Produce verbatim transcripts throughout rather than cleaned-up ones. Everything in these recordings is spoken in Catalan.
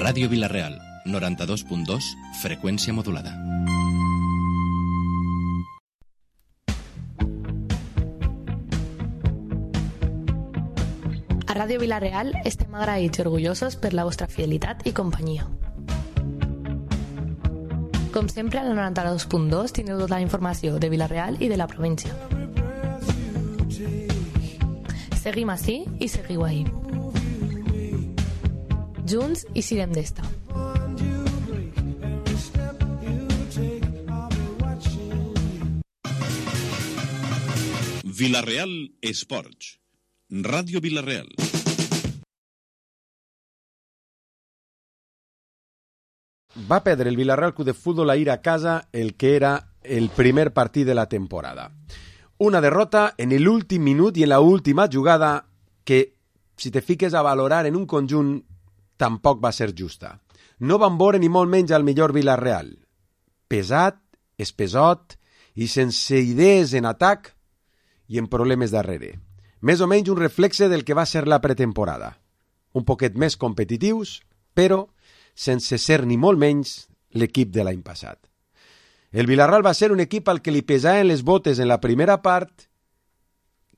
Ràdio Vila-real, noranta-dos punt dos, freqüència modulada. A Ràdio Vila-real estem agraïts i orgullosos per la vostra fidelitat i companyia. Com sempre, a la noranta-dos punt dos tindreu tota la informació de Vila-real i de la província. Seguim ací i seguiu ahí. Junts i sirem d'esta. Vila-real Esports. Ràdio Vila-real. Va perdre el Vila-real Club de Fútbol a ir a casa el que era el primer partit de la temporada. Una derrota en l'últim minut i en l'última jugada que, si te fiques a valorar en un conjunt, tampoc va ser justa. No van veure ni molt menys al millor Vila-real. Pesat, espesot i sense idees en atac i en problemes darrere. Més o menys un reflexe del que va ser la pretemporada. Un poquet més competitius, però sense ser ni molt menys l'equip de l'any passat. El Vila-real va ser un equip al que li pesaven les botes en la primera part,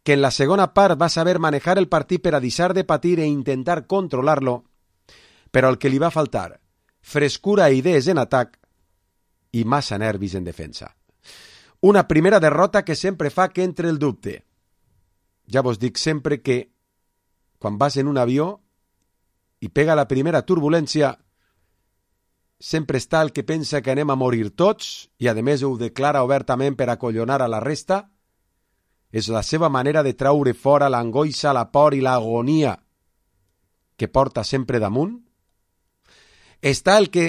que en la segona part va saber manejar el partit per a deixar de patir e intentar controlar-lo, però al que li va faltar frescura i idees en atac i massa nervis en defensa. Una primera derrota que sempre fa que entre el dubte. Ja vos dic sempre que quan vas en un avió i pega la primera turbulència, sempre està el que pensa que anem a morir tots i a més ho declara obertament per acollonar a la resta. És la seva manera de traure fora l'angoixa, la por i l'agonia que porta sempre damunt. Està el que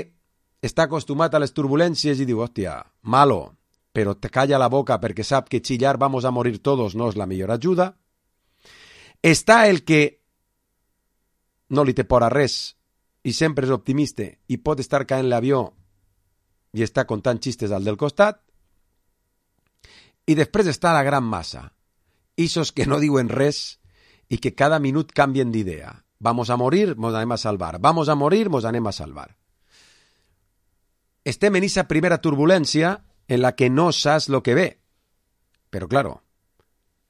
està acostumat a les turbulències i diu, hòstia, malo, però te calla la boca perquè sap que chillar vamos a morir todos no és la millor ajuda. Està el que no li té por a res i sempre és optimista i pot estar caent l'avió i està contant xistes al del costat. I després està la gran massa, ixos que no diuen res i que cada minut canvien d'idea. Vamos a morir, mos anem a salvar. Vamos a morir, mos anem a salvar. Estem en esa primera turbulència en la que no saps lo que ve. Però, claro,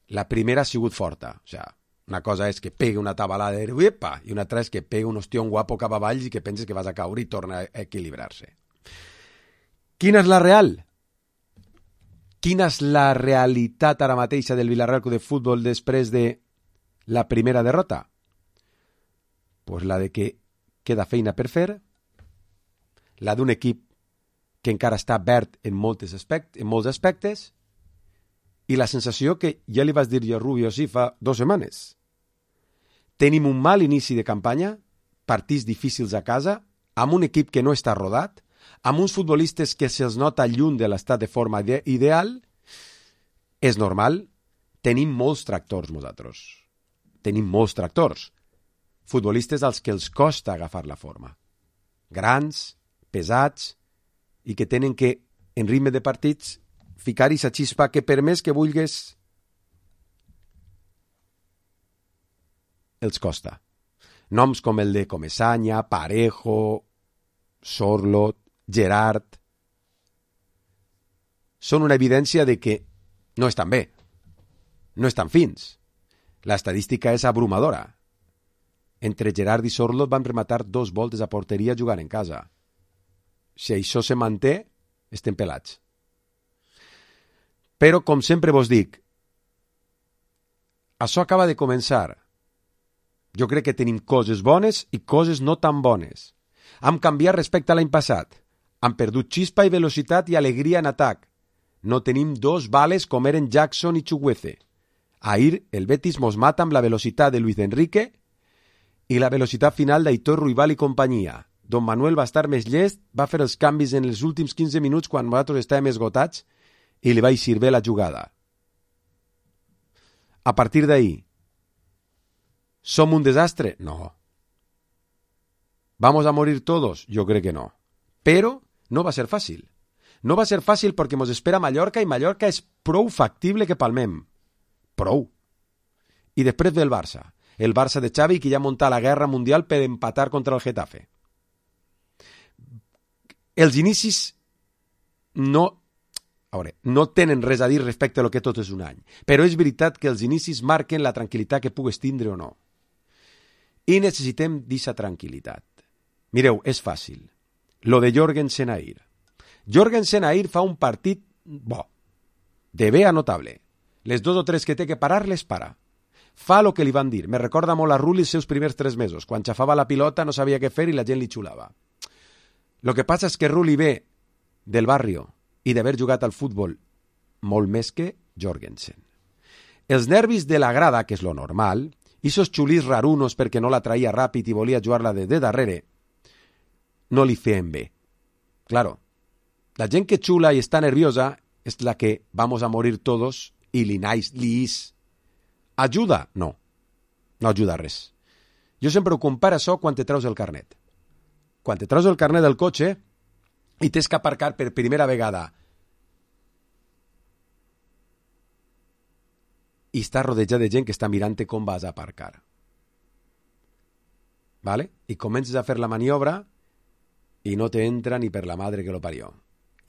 la primera ha sigut forta. O sea, una cosa és que pegue una tabalada de uepa, i una altra és que pegue un ostión guapo cap avall i que penses que vas a caure i torna a equilibrar-se. Quina és la real? Quina és la realitat ara mateixa del Vila-real Club de Futbol després de la primera derrota? Pues la de que queda feina per fer, la d'un equip que encara està verd en, moltes aspectes, en molts aspectes, i la sensació que ja li vas dir jo a Rubio sí fa dues setmanes. Tenim un mal inici de campanya, partits difícils a casa, amb un equip que no està rodat, amb uns futbolistes que se'ls nota lluny de l'estat de forma ideal. És normal, tenim molts tractors nosaltres. Tenim molts tractors. Futbolistes als que els costa agafar la forma. Grans, pesats, i que tenen que, en ritme de partits, ficar-hi sa xispa que per més que vulguis, els costa. Noms com el de Comesaña, Parejo, Sorlot, Gerard, són una evidència de que no estan bé, no estan fins. L'estadística és abrumadora. Entre Gerard i Sorlot van rematar dos voltes a porteria jugant en casa. Si això se manté, estem pelats. Però, com sempre vos dic, això acaba de començar. Jo crec que tenim coses bones i coses no tan bones. Hem canviat respecte a l'any passat. Hem perdut xispa i velocitat i alegria en atac. No tenim dos bales com eren Jackson i Chukwueze. Ahir el Betis mos mata amb la velocitat de Luis Enrique i la velocitat final d'Aitor Ruibal i companyia. Don Manuel va estar més llest, va fer els canvis en els últims quinze minuts quan nosaltres estàvem esgotats i li vaig servir la jugada. A partir d'ahir, ¿som un desastre? No. ¿Vamos a morir todos? Yo creo que no. Pero no va a ser fàcil. No va a ser fàcil perquè ens espera Mallorca i Mallorca és prou factible que palmem. Prou. I després ve el Barça. El Barça de Xavi que ja munta la guerra mundial per empatar contra el Getafe. els inicis no, a veure, no tenen res a dir respecte a lo que tot és un any, però és veritat que els inicis marquen la tranquil·litat que pugues tindre o no. I necessitem d'aquesta tranquil·litat. Mireu, és fàcil. Lo de Jorgensen ahir. Jorgensen ahir fa un partit bo, de bé a notable. Les dos o tres que té que parar, les para. Fa el que li van dir. Me recorda molt a Rulli els seus primers tres mesos. Quan xafava la pilota no sabia què fer i la gent li xulava. Lo que passa és que Rulli ve del barrio i d'haver jugat al futbol molt més que Jorgensen. Els nervis de la grada, que és lo normal, i esos xulís rarunos perquè no la traïa ràpid i volia jugar-la de, de darrere, no li feien bé. Claro, la gent que xula i està nerviosa és la que vamos a morir todos i li naix, li is. Ajuda? No. No ajuda res. Jo sempre ho comparo això quan te treus el carnet. Quan te treus el carnet del cotxe i tens que aparcar per primera vegada i està rodejat de gent que està mirant-te com vas a aparcar. ¿Vale? I comences a fer la maniobra i no te entra ni per la madre que lo parió.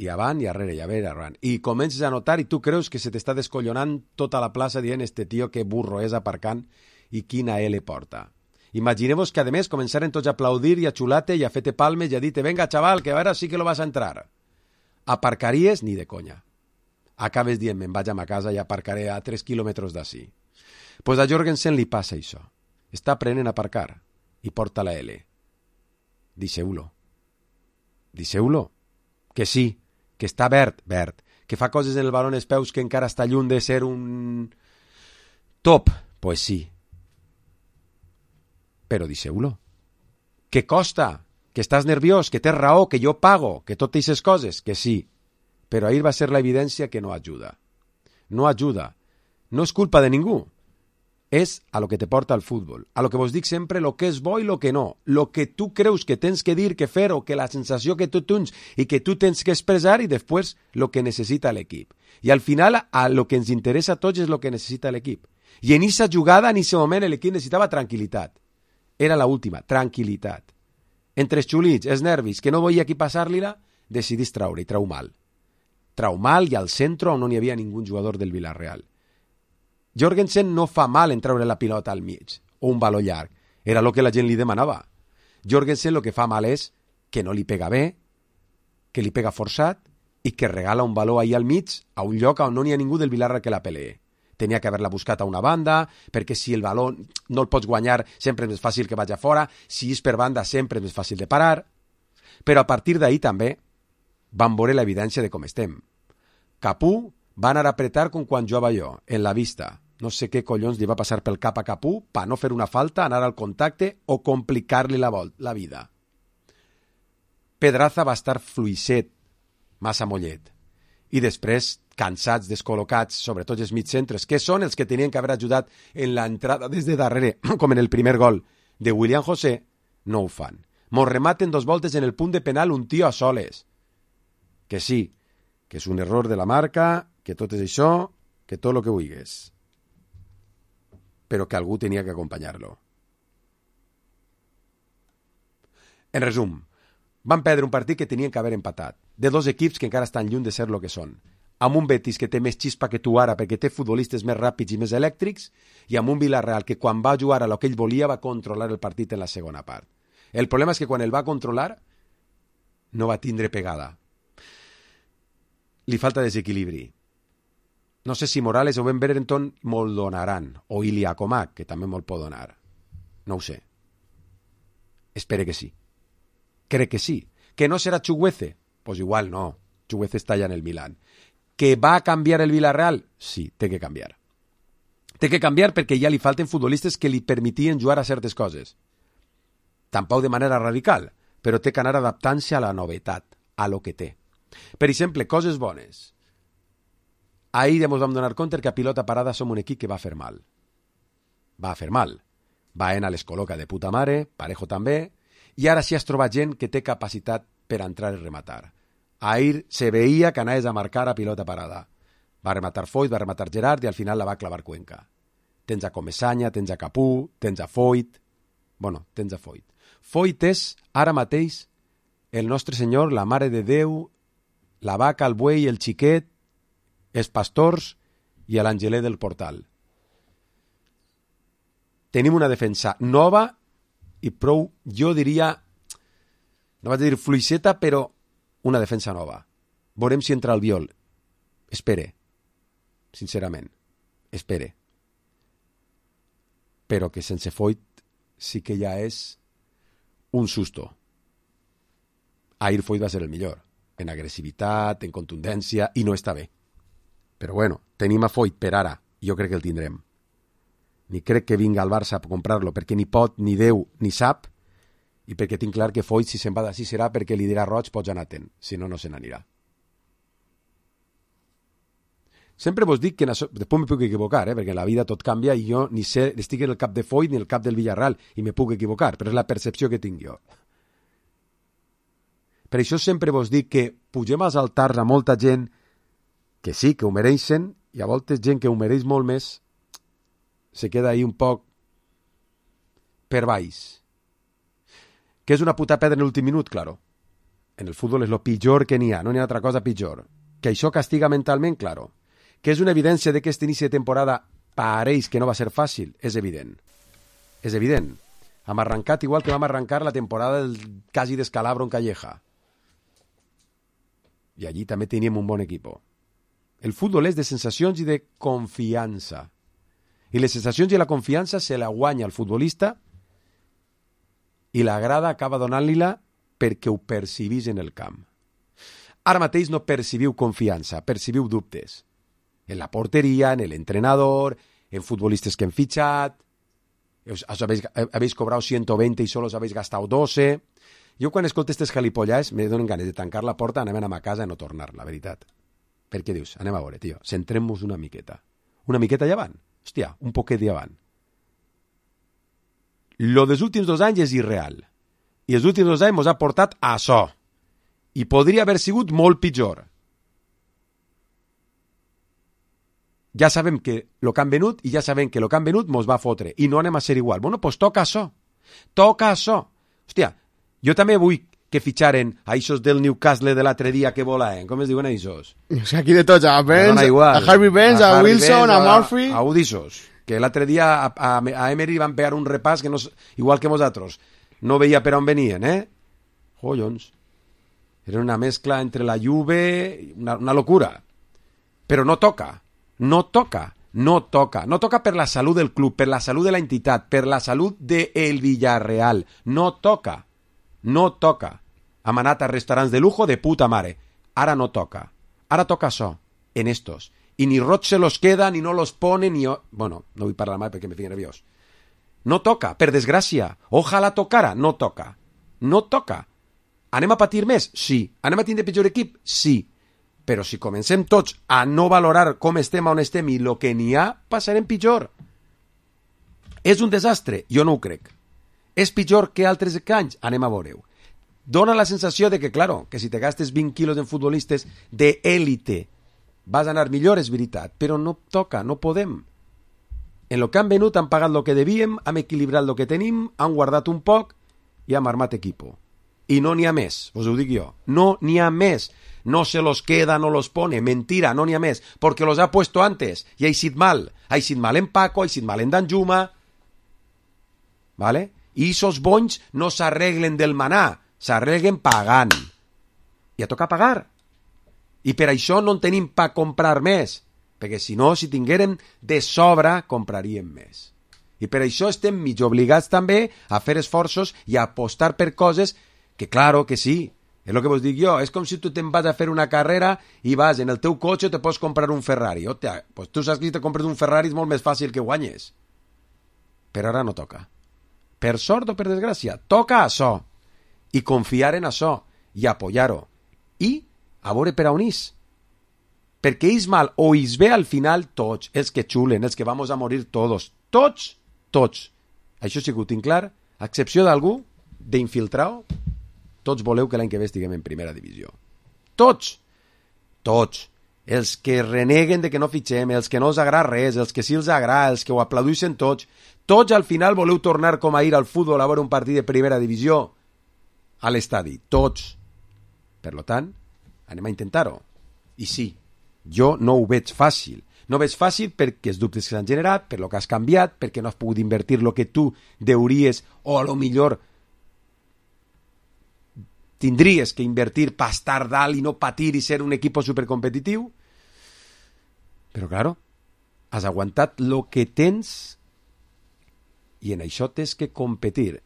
I avant i arrere, i a veure, arran. I comences a notar i tu creus que se t'està descollonant tota la plaça dient este tio que burro és aparcant i quina L porta. Imagineu-vos que, a més, començaren tots a aplaudir i a xulate i a fer-te palmes i a dir-te venga, xaval, que ara sí que lo vas a entrar. Aparcaries ni de conya. Acabes dient, me'n vaig a ma casa i aparcaré a tres quilòmetres d'ací. Pues a Jorgensen li passa això. Està aprenent a aparcar i porta la L. Deixeu-lo. Deixeu-lo. Que sí, que està verd, verd, que fa coses en el baló en els peus que encara està lluny de ser un top. Pues sí. Però deixeu-lo. Que costa, que estàs nerviós, que tens raó, que jo pago, que totes aquestes coses, que sí. Però ahir va ser la evidència que no ajuda. No ajuda. No és culpa de ningú. És a lo que te porta el futbol. A lo que vos dic sempre, lo que és bo i lo que no. Lo que tu creus que tens que dir, que fer, o que la sensació que tu tens i que tu tens que expressar, i després lo que necessita l'equip. I al final, a lo que ens interessa a tots és lo que necessita l'equip. I en aquesta jugada, en aquest moment, l'equip necessitava tranquil·litat. Era la última, tranquil·litat. Entre els xulits, els nervis, que no volia qui passar-li-la, decidís traure i trau mal. Trau mal i al centre on no n'hi havia ningú jugador del Villarreal. Jorgensen no fa mal en treure la pilota al mig, o un baló llarg. Era el que la gent li demanava. Jorgensen el que fa mal és que no li pega bé, que li pega forçat i que regala un baló ahí al mig a un lloc on no n'hi ha ningú del Villarreal que la pelee. Tenia que haver-la buscat a una banda, perquè si el baló no el pots guanyar sempre és més fàcil que vagi a fora, si és per banda sempre és més fàcil de parar. Però a partir d'ahir també van veure l'evidència de com estem. Capú va anar a apretar com quan jugava jo, en la vista. No sé què collons li va passar pel cap a Capú per no fer una falta, anar al contacte o complicar-li la, vol la vida. Pedraza va estar fluixet, massa mollet. I després, cansats, descol·locats, sobretot els mitcentres, que són els que tenien que haver ajudat en l'entrada des de darrere, com en el primer gol de William José, no ho fan. Mos rematen dos voltes en el punt de penal un tio a soles. Que sí, que és un error de la marca, que tot és això, que tot el que vulguis. Però que algú tenia que acompanyar-lo. En resum, van perdre un partit que tenien que haver empatat, de dos equips que encara estan lluny de ser el que són, amb un Betis que té més xispa que tu ara perquè té futbolistes més ràpids i més elèctrics, i amb un Villarreal que quan va jugar a lo que ell volia va controlar el partit en la segona part. El problema és que quan el va controlar no va tindre pegada. Li falta desequilibri. No sé si Morales o Ben Berenton me'l donaran, o Ilia Comac, que també me'l pot donar. No ho sé. Espere que sí. Crec que sí. Que no serà Chukwueze? Pues igual no. Chukwueze està allà en el Milan. Que va a canviar el Villarreal? Sí, té que canviar. Té que canviar perquè ja li falten futbolistes que li permetien jugar a certes coses. Tampoc de manera radical, però té que anar adaptant-se a la novetat, a lo que té. Per exemple, coses bones. Ahir ens vam donar compte que a pilota parada som un equip que va fer mal. Va fer mal. Baena les col·loca de puta mare, Parejo també, i ara sí has trobat gent que té capacitat per entrar i rematar. Ahir se veia que anaves a marcar a pilota parada. Va rematar Foyt, va rematar Gerard i al final la va clavar Cuenca. Tens a Comesaña, tens a Capú, tens a Foyt. Bueno, tens a Foyt. Foyt és, ara mateix, el nostre Senyor, la Mare de Déu, la vaca, el buey, el xiquet, els pastors i l'angeler del portal. Tenim una defensa nova i prou, jo diria, no vaig dir fluixeta, però una defensa nova. Veurem si entra el Biol. Espere, sincerament, espere. Però que sense Foyt sí que ja és un susto. Ahir Foyt va ser el millor, en agressivitat, en contundència, i no està bé. Però bueno, tenim a Foyt per ara, jo crec que el tindrem. Ni crec que vinga al Barça a comprar-lo, perquè ni pot, ni deu, ni sap, i perquè tinc clar que Foyt, si se'n va d'ací, serà perquè li dirà Roig, pots anar atent, si no, no se n'anirà. Sempre vos dic que això, després me puc equivocar, eh, perquè en la vida tot canvia i jo ni sé, estic en el cap de Foyt ni en el cap del Villarreal i me puc equivocar, però és la percepció que tinc jo. Per això sempre vos dic que pugem als altars a molta gent que sí, que ho mereixen, i a voltes gent que ho mereix molt més se queda ahí un poc per baix. Que és una puta pedra en l'últim minut, claro. En el futbol és lo pitjor que n'hi ha, no n'hi ha altra cosa pitjor. Que això castiga mentalment, claro. Que és una evidència de que aquest inici de temporada pareix que no va ser fàcil, és evident. És evident. Hem arrencat igual que vam arrencar la temporada del quasi descalabro en Calleja. I allí també teníem un bon equip. El futbol és de sensacions i de confiança. I les sensacions i la confiança se la guanya el futbolista i la grada acaba donant-li-la perquè ho percibís en el camp. Ara mateix no percibiu confiança, percibiu dubtes. En la porteria, en l'entrenador, en futbolistes que han fitxat, habéis, habéis cobrado ciento veinte i solo os habéis gastado doce. Jo quan escolto aquestes galipollades me donen ganes de tancar la porta, anem a ma casa i no tornar, la veritat. Per què dius? Anem a veure, tio, centrem-nos una miqueta. Una miqueta llevant? Hòstia, un poquet llevant. Lo dels últims dos anys és irreal. I els últims dos anys ens ha portat a això. I podria haver sigut molt pitjor. Ja sabem que lo que han venut i ja sabem que lo que han venut mos va fotre. I no anem a ser igual. Bueno, pues toca això. Toca això. Hòstia, jo també vull que fitxaren a eixos del Newcastle de l'altre dia que volaen. Com es diuen eixos? O sigui, aquí de tots, a Benz, a Harvey Benz, a, a Wilson, Benz, a Murphy... A, a Udissos. Que l'altre dia a, a, a Emery van pegar un repàs que no, igual que nosaltres. No veia per on venien, eh? Collons. Era una mescla entre la Juve, una, una locura. Però no toca. No toca. No toca. No toca per la salut del club, per la salut de la entitat, per la salut del Villarreal. No toca. No toca. Hem anat a restaurants de lujo de puta mare. Ara no toca. Ara toca això, en estos. I ni Roig se los queda, ni no los pone, ni... Bueno, no vull parlar mai perquè me fico nerviós. No toca, per desgràcia. Ojalà tocara. No toca. No toca. Anem a patir més? Sí. Anem a tindre pitjor equip? Sí. Però si comencem tots a no valorar com estem, on estem i el que n'hi ha, passarem pitjor. És un desastre? Jo no ho crec. És pitjor que altres anys? Anem a veure-ho. Dona la sensació de que, claro, que si te gastes vint quilos en futbolistes d'élite vas a anar millor, és veritat, però no toca, no podem. En lo que han venut han pagat el que devíem, hem equilibrat el que tenim, han guardat un poc i hem armat equipo. I no n'hi ha més, us ho dic jo. No n'hi ha més. No se los queda, no los pone. Mentira, no n'hi ha més. Porque los ha puesto antes. Y ha sido mal. Ha sido mal en Paco, ha sido mal en Danjuma. ¿Vale? I esos bonys no s'arreglen del manar. S'arreglen pagant. I a tocar pagar. I per això no en tenim pa comprar més. Perquè si no, si tinguérem de sobre, compraríem més. I per això estem mig obligats també a fer esforços i a apostar per coses que, claro, que sí. És el que vos dic jo. És com si tu te'n vas a fer una carrera i vas en el teu cotxe te pots comprar un Ferrari. Hòstia, pues tu saps que si te compres un Ferrari és molt més fàcil que guanyes. Però ara no toca. Per sort o per desgràcia, toca això. I confiar en això. I apoyar-ho. I a veure per on és. Perquè és mal o és bé al final tots, els que xulen, els que vamos a morir tots. Tots, tots. Això sí que ho tinc clar. A excepció d'algú, d'infiltrau, tots voleu que l'any que ve estiguem en primera divisió. Tots. Tots. Els que reneguen de que no fitxem, els que no els agrada res, els que sí els agrada, els que ho aplaudeixen tots. Tots al final voleu tornar com ahir al futbol a veure un partit de primera divisió a l'estadi. Tots. Per lo tant, anem a intentar-ho. I sí, jo no ho veig fàcil. No veig fàcil perquè els dubtes que s'han generat, per lo que has canviat, perquè no has pogut invertir el que tu deuries o a lo millor tindries que invertir per estar dalt i no patir i ser un equip supercompetitiu. Però, claro, has aguantat lo que tens i en això tens que competir.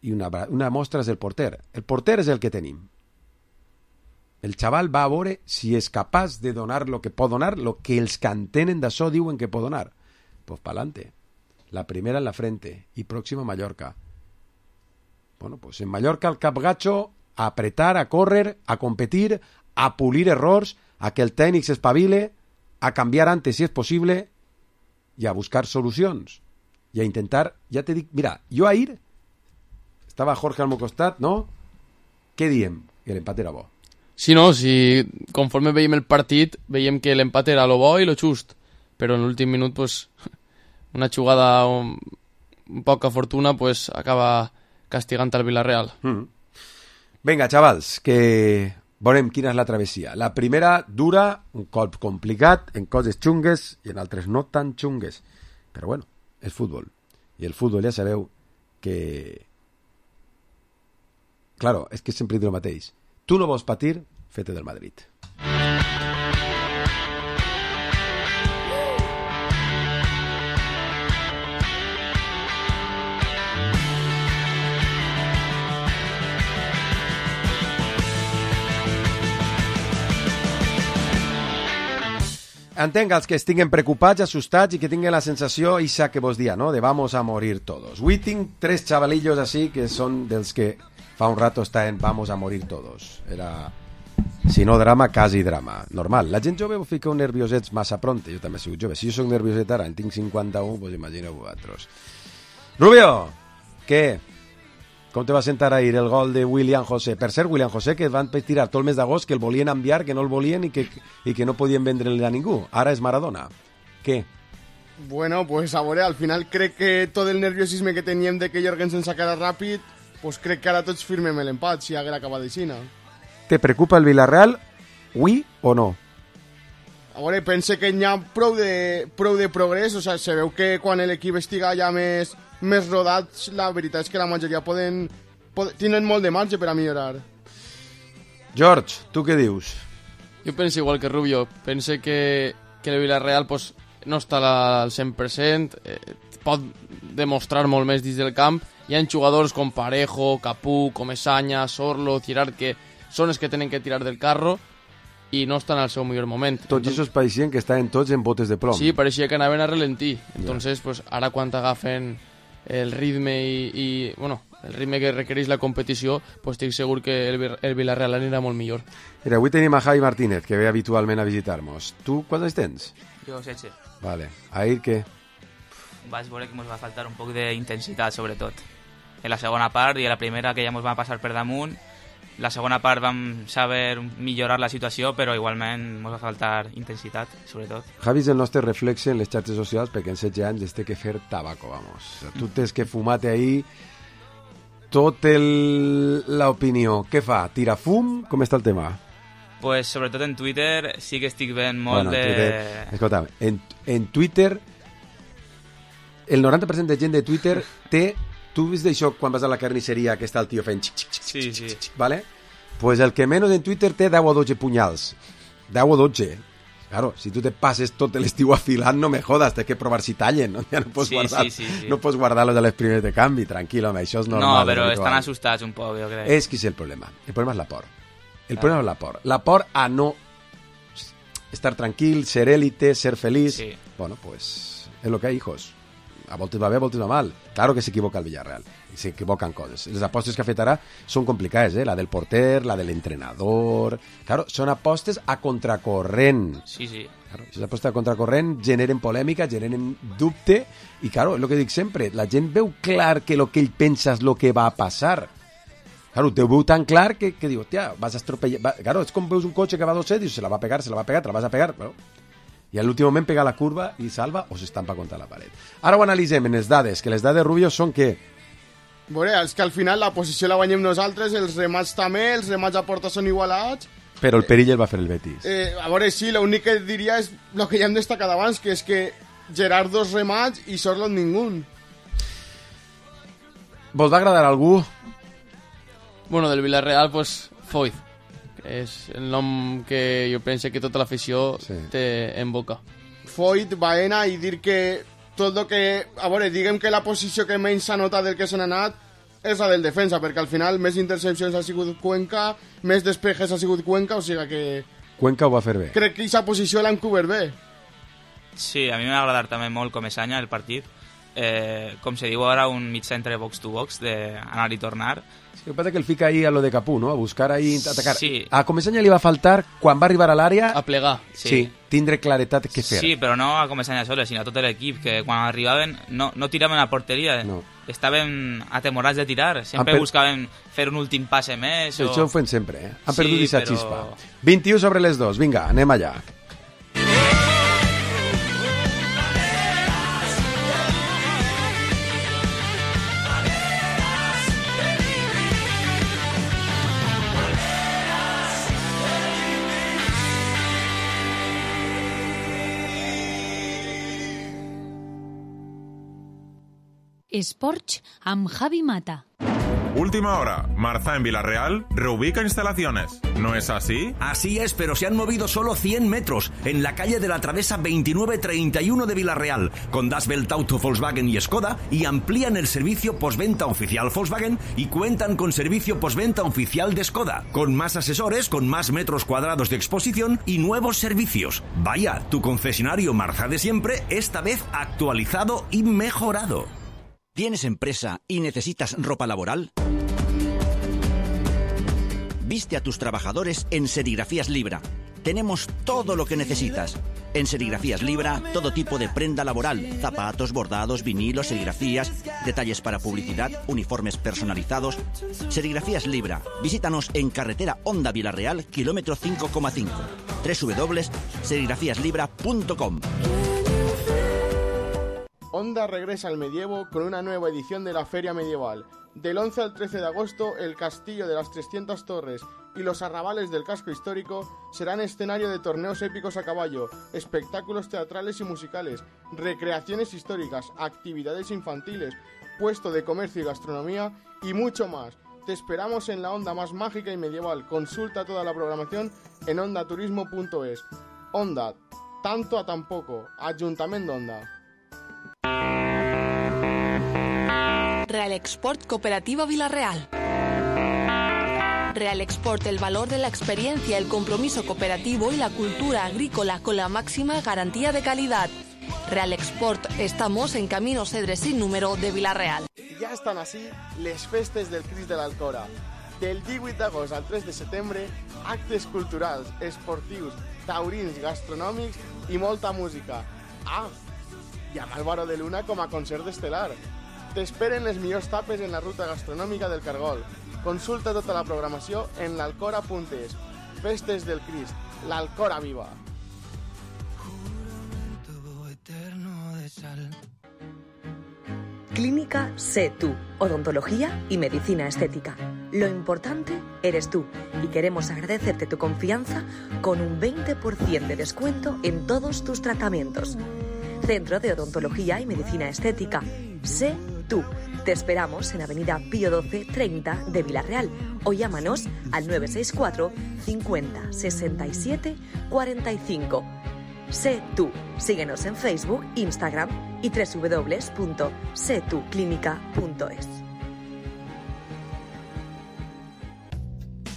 I una, una mostra és el porter. El porter és el que tenim. El xaval va a veure si és capaç de donar lo que pot donar, lo que els que entenen d'això diuen que pot donar. Pues pa'lante. La primera en la frente i pròxima a Mallorca. Bueno, pues en Mallorca el capgacho a apretar, a córrer, a competir, a pulir errors, a que el tècnic s'espavile, a canviar antes si és possible i a buscar solucions. I a intentar, ja te dic, mira, jo ahir estava Jorge al meu costat, no? Què diem? Que l'empat era bo. Sí, no, si conforme veiem el partit, veiem que l'empat era lo bo i lo just, però en l'últim minut, pues, una jugada un, un poca fortuna, pues, acaba castigant al Villarreal. Mm. Vinga, xavals, que veurem quina és la travessia. La primera dura, un cop complicat, en coses xungues i en altres no tan xungues. Però bueno, és futbol. I el futbol ja sabeu que... Claro, és que sempre dic el mateix. Tu no vols patir, fete del Madrid. Entenc els que estiguen preocupats, assustats i que tinguin la sensació ixa que vos dia, no? De vamos a morir todos. Avui tinc tres xavalillos així que són dels que fa un rato estaven vamos a morir todos. Era, si no drama, quasi drama. Normal. La gent jove ho fica un nerviosets massa pronte. Jo també he sigut jove. Si jo soc nervioset ara, en tinc cinquanta-u, doncs imagineu vosaltres. Rubio, què? Com te va sentar ahir el gol de William José? Per cert, William José, que van tirar tot el mes d'agost, que el volien enviar, que no el volien i que, i que no podien vendre-li a ningú. Ara és Maradona. Què? Bueno, pues a veure, al final crec que tot el nerviosisme que teníem de que Jorgensen sacara ràpid, pues crec que ara tots firmem l'empat, si haguera acabat d'aixina. Te preocupa el Villarreal, oui o no? A veure, pense que hi ha prou de, prou de progrés, o sigui, se veu que quan l'equip estiga ja més, més rodat, la veritat és que la majoria poden, poden, tenen molt de marge per a millorar. George, tu què dius? Jo penso igual que Rubio, pense que, que el Villarreal pues, no està al cent per cent, eh, pot demostrar molt més dins del camp. Hi ha jugadors com Parejo, Capú, Comesaña, Sorlo, Girard, que són els que tenen que tirar del carro i no estan al seu millor moment. Tots aquests pareixien que estaven tots en botes de plom. Sí, pareixia que anaven a relentir. Entonces, pues, ara quan agafen el ritme i, i bueno, el ritme que requereix la competició, pues, estic segur que el, el Villarreal anirà molt millor. Mira, avui tenim a Javi Martínez, que ve habitualment a visitar-nos. Tu quants anys tens? Jo setze. Vale. Ahir què? Vaig veure que ens va faltar un poc d'intensitat, sobretot. En la segona part i a la primera, que ja ens va passar per damunt. La segona part vam saber millorar la situació, però igualment ens va faltar intensitat, sobretot. Javi és el nostre reflexe en les xarxes socials perquè en setze anys es té que fer tabaco, vamos. O sea, tu tens que fumar-te ahí tot l'opinió. Què fa? Tira fum? Com està el tema? Pues sobretot en Twitter sí que estic veient molt bueno, de... Twitter, escolta'm, en, en Twitter el noranta per cent de gent de Twitter té... Tu vist d'això quan vas a la carnisseria que està el tio fent xic, xic, xic, sí, sí. xic, xic, ¿vale? Pues el que menys en Twitter té deu o dotze punyals. deu o dotze. Claro, si tu te passes tot l'estiu afilant, no me jodas, té que provar si tallen, no? Ja no pots sí, guardar, sí, sí, sí. no pots guardar-los a les primeres de canvi, tranquil, home, això és normal. No, però estan assustats un poc, jo crec. És que és el problema. El problema és la por. El problema és la por. La por a no estar tranquil, ser élite, ser feliç. Sí. Bueno, pues es lo que hay, hijos. A voltes va bé, a voltes va mal. Claro que s'equivoca el Villarreal. I s'equivoquen coses. Les apostes que ha fet ara són complicades, eh? La del porter, la de l'entrenador... Claro, són apostes a contracorrent. Sí, sí. Claro, si s'aposta a contracorrent generen polèmica, generen dubte, i claro, és el que dic sempre, la gent veu clar que el que ell pensa és el que va a passar. Claro, te veu tan clar que, que diu, hòstia, vas a estropellar... Va... Claro, és com veus un cotxe que va a dos set i se la va a pegar, se la va a pegar, te la vas a pegar, però... i a l'últim moment pega la curva i salva o s'estampa contra la paret. Ara ho analitzem en les dades, que les dades, Rubio, són que Veure, és que al final la posició la guanyem nosaltres, els remats també, els remats a porta són igualats. Però el perill el va fer el Betis. Eh, a veure, sí, l'únic que diria és el que ja hem destacat abans, que és que Gerard dos remats i Sorlot ningú. Vos va agradar algú? Bueno, del Villarreal, pues, Foyt. És el nom que jo penso que tota l'afició sí. té en boca. Foyt, Baena, i dir que tot el que... A veure, diguem que la posició que menys s'ha notat del que s'han anat és la del defensa, perquè al final més intercepcions ha sigut Cuenca, més despejes ha sigut Cuenca, o sigui que... Cuenca ho va fer bé. Crec que aquesta posició l'han cobert bé. Sí, a mi m'ha agradat també molt com és any el partit. Eh, com se diu ara, un mig centre box to box, d'anar i tornar. Sí, el que passa que el fica ahí a lo de Capú, no? A buscar ahí, a atacar. Sí. A Comesaña li va faltar, quan va arribar a l'àrea... A plegar. Sí. sí, tindre claretat què fer. Sí, però no a Comesaña soles, sinó a tot l'equip, que quan arribaven no, no tiraven a porteria. No. Estaven atemorats de tirar. Sempre per... buscaven fer un últim passe més. O... Això ho fem sempre, eh? Han sí, perdut aquesta però... xispa. vint-i-u sobre les dos, vinga, anem allà. Sports amb Javi Mata. Última hora. Marza en Villarreal reubica instalaciones. ¿No es así? Así es, pero se han movido solo cien metros en la calle de la Travesa veintinueve treinta y uno de Villarreal, con Das Welt Auto, Volkswagen y Skoda, y amplían el servicio postventa oficial Volkswagen y cuentan con servicio postventa oficial de Skoda, con más asesores, con más metros cuadrados de exposición y nuevos servicios. Vaya, tu concesionario Marza de siempre, esta vez actualizado y mejorado. ¿Tienes empresa y necesitas ropa laboral? Viste a tus trabajadores en Serigrafías Libra. Tenemos todo lo que necesitas. En Serigrafías Libra, todo tipo de prenda laboral, zapatos, bordados, vinilos, serigrafías, detalles para publicidad, uniformes personalizados. Serigrafías Libra. Visítanos en carretera Honda Villarreal, kilómetro cinco coma cinco. doble u doble u doble u punto serigrafías libra punto com. Honda regresa al medievo con una nueva edición de la Feria Medieval. Del once al trece de agosto, el Castillo de las trescientas Torres y los arrabales del casco histórico serán escenario de torneos épicos a caballo, espectáculos teatrales y musicales, recreaciones históricas, actividades infantiles, puesto de comercio y gastronomía y mucho más. Te esperamos en la Honda más mágica y medieval. Consulta toda la programación en honda turismo punto es. Honda, tanto a tan poco. Ayuntamiento de Honda. Real Export Cooperativa Villarreal. Real Export, el valor de la experiencia, el compromiso cooperativo y la cultura agrícola con la máxima garantía de calidad. Real Export, estamos en Camino Cedre sin número de Villarreal. Ja estan així les festes del Crist de l'Alcora. Del divuit d'agost al tres de setembre, actes culturals, esportius, taurins, gastronòmics i molta música. Ah, i amb Álvaro de Luna com a concert estel·lar. T'esperen les millors tapes en la ruta gastronòmica del Cargol. Consulta tota la programació en l'alcora punt es. Festes del Crist, l'Alcora viva. Clínica Sé Tú, odontología y medicina estética. Lo importante eres tú y queremos agradecerte tu confianza con un veinte por ciento de descuento en todos tus tratamientos. Centro de Odontología y Medicina Estética. Sé Tú. Te esperamos en Avenida Pío doce treinta de Villarreal o llámanos al nueve seis cuatro cincuenta sesenta y siete cuarenta y cinco. Sé Tú. Síguenos en Facebook, Instagram y doble u doble u doble u punto sé tú clínica punto es.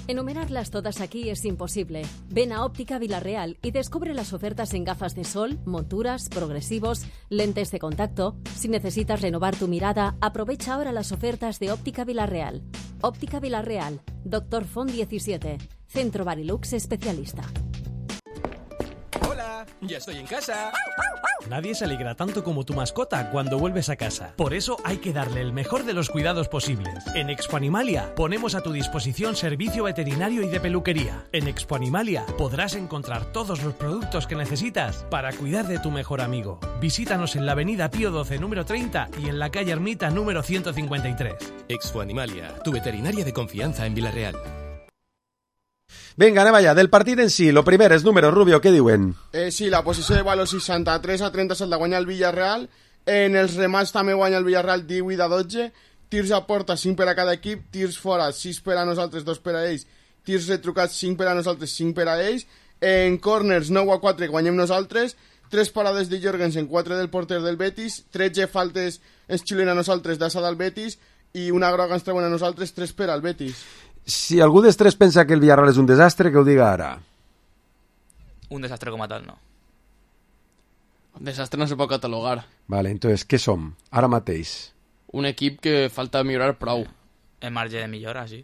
Enumerarlas todas aquí es imposible. Ven a Óptica Villarreal y descubre las ofertas en gafas de sol, monturas, progresivos, lentes de contacto. Si necesitas renovar tu mirada, aprovecha ahora las ofertas de Óptica Villarreal. Óptica Villarreal, Doctor Font diecisiete, Centro Barilux especialista. Hola, Ya estoy en casa. Nadie se alegra tanto como tu mascota cuando vuelves a casa. Por eso hay que darle el mejor de los cuidados posibles. En Expo Animalia ponemos a tu disposición servicio veterinario y de peluquería. En Expo Animalia podrás encontrar todos los productos que necesitas para cuidar de tu mejor amigo. Visítanos en la avenida Pío doce número treinta y en la calle Ermita número ciento cincuenta y tres. Expo Animalia, tu veterinaria de confianza en Vila-real. Vinga, anem allà. Del partit en si, lo primer és número, Rubio, què diuen? Eh, sí, la posició de valor seixanta-tres a trenta-set la guanya el Villarreal. En els remats també guanya el Villarreal divuit a dotze. Tirs a porta, cinc per a cada equip. Tirs fora, sis per a nosaltres, dos per a ells. Tirs retrucats, cinc per a nosaltres, cinc per a ells. En corners, nou a quatre, guanyem nosaltres. tres parades de Jorgensen, quatre del porter del Betis. tretze faltes ens xiulen a nosaltres d'Assa del Betis. I una groga ens treuen a nosaltres, tres per al Betis. Si algú dels tres pensa que el Villarreal és un desastre, que ho diga ara. Un desastre com a tal, no. Un desastre no se pot catalogar. Vale, entonces, què som? Ara mateix. Un equip que falta millorar prou. En marge de millora, sí.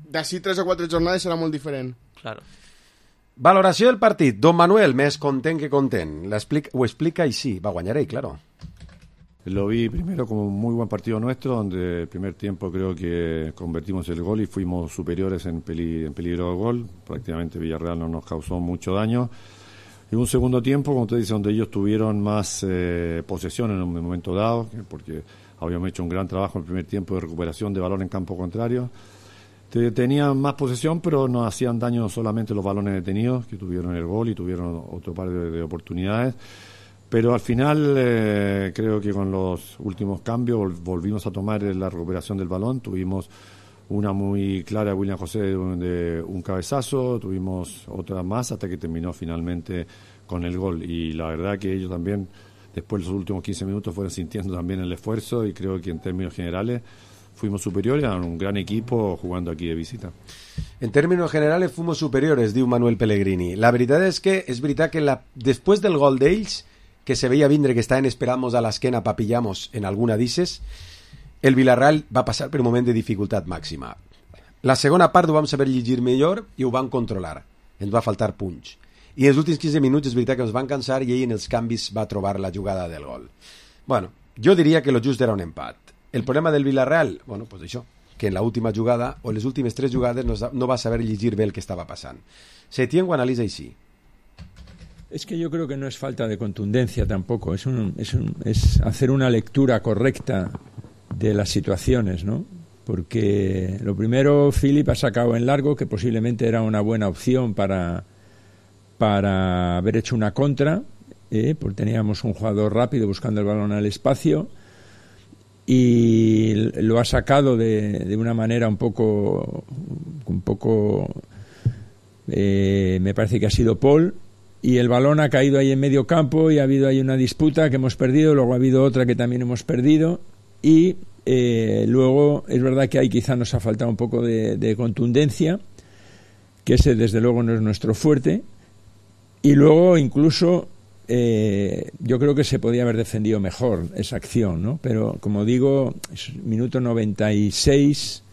D'ací tres o quatre jornades serà molt diferent. Claro. Valoració del partit. Don Manuel, més content que content. Ho explica i sí, va guanyar ell, claro. Lo vi primero como un muy buen partido nuestro, donde el primer tiempo creo que convertimos el gol y fuimos superiores en, peli, en peligro de gol. Prácticamente Villarreal no nos causó mucho daño. Y un segundo tiempo, como usted dice, donde ellos tuvieron más eh, posesión en un momento dado, porque habíamos hecho un gran trabajo en el primer tiempo de recuperación de balón en campo contrario. Tenían más posesión, pero nos hacían daño solamente los balones detenidos, que tuvieron el gol y tuvieron otro par de, de oportunidades. Pero al final eh, creo que con los últimos cambios volvimos a tomar la recuperación del balón. Tuvimos una muy clara de William José de un, de un cabezazo, tuvimos otra más hasta que terminó finalmente con el gol. Y la verdad que ellos también, después de los últimos quince minutos, fueron sintiendo también el esfuerzo y creo que en términos generales fuimos superiores a un gran equipo jugando aquí de visita. En términos generales fuimos superiores, diu Manuel Pellegrini. La veritat és que és veritat que la, després del gol d'ells, que se veia vindre que estaven esperant-nos a l'esquena pa pillamos en alguna d'isses, el Villarreal va passar per un moment de dificultat màxima. La segona part ho vam saber llegir millor i ho vam controlar. Ens va faltar punx. I en els últims quinze minuts és veritat que ens van cansar i ell en els canvis va trobar la jugada del gol. Bueno, jo diria que lo just era un empat. El problema del Villarreal, bueno, pues això, que en la última jugada o en les últimes tres jugades no, no va saber llegir bé el que estava passant. Setién ho analitza així. Es que yo creo que no es falta de contundencia tampoco, es, un, es, un, es hacer una lectura correcta de las situaciones, ¿no? Porque lo primero, Philip ha sacado en largo, que posiblemente era una buena opción para, para haber hecho una contra, ¿eh? Porque teníamos un jugador rápido buscando el balón al espacio, y lo ha sacado de, de una manera un poco, un poco eh, me parece que ha sido Paul, y el balón ha caído ahí en medio campo y ha habido ahí una disputa que hemos perdido, luego ha habido otra que también hemos perdido y eh, luego es verdad que ahí quizá nos ha faltado un poco de, de contundencia, que ese desde luego no es nuestro fuerte, y luego incluso eh, yo creo que se podía haber defendido mejor esa acción, ¿no? Pero como digo, es minuto noventa y seis,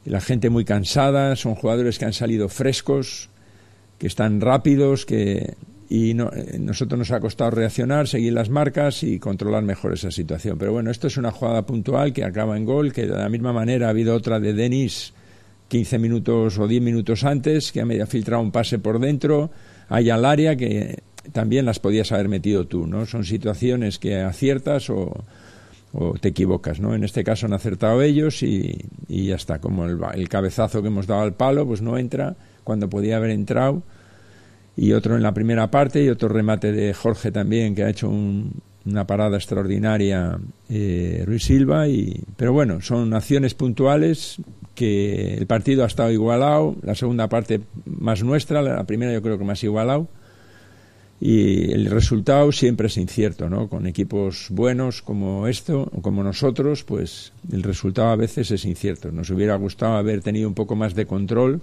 la gente muy cansada, son jugadores que han salido frescos, que están rápidos, que y no, nosotros nos ha costado reaccionar, seguir las marcas y controlar mejor esa situación. Pero bueno, esto es una jugada puntual que acaba en gol, que de la misma manera ha habido otra de Denis quince minutos o diez minutos antes, que ha filtrado un pase por dentro, hay al área que también las podías haber metido tú, ¿no? Son situaciones que aciertas o, o te equivocas, ¿no? En este caso han acertado ellos y, y ya está, como el, el cabezazo que hemos dado al palo, pues no entra cuando podía haber entrado, y otro en la primera parte y otro remate de Jorge también, que ha hecho un, una parada extraordinaria eh, Ruiz Silva, y, pero bueno, son acciones puntuales que el partido ha estado igualado, la segunda parte más nuestra, la primera yo creo que más igualado, y el resultado siempre es incierto, ¿no? Con equipos buenos como esto, o como nosotros, pues el resultado a veces es incierto. Nos hubiera gustado haber tenido un poco más de control,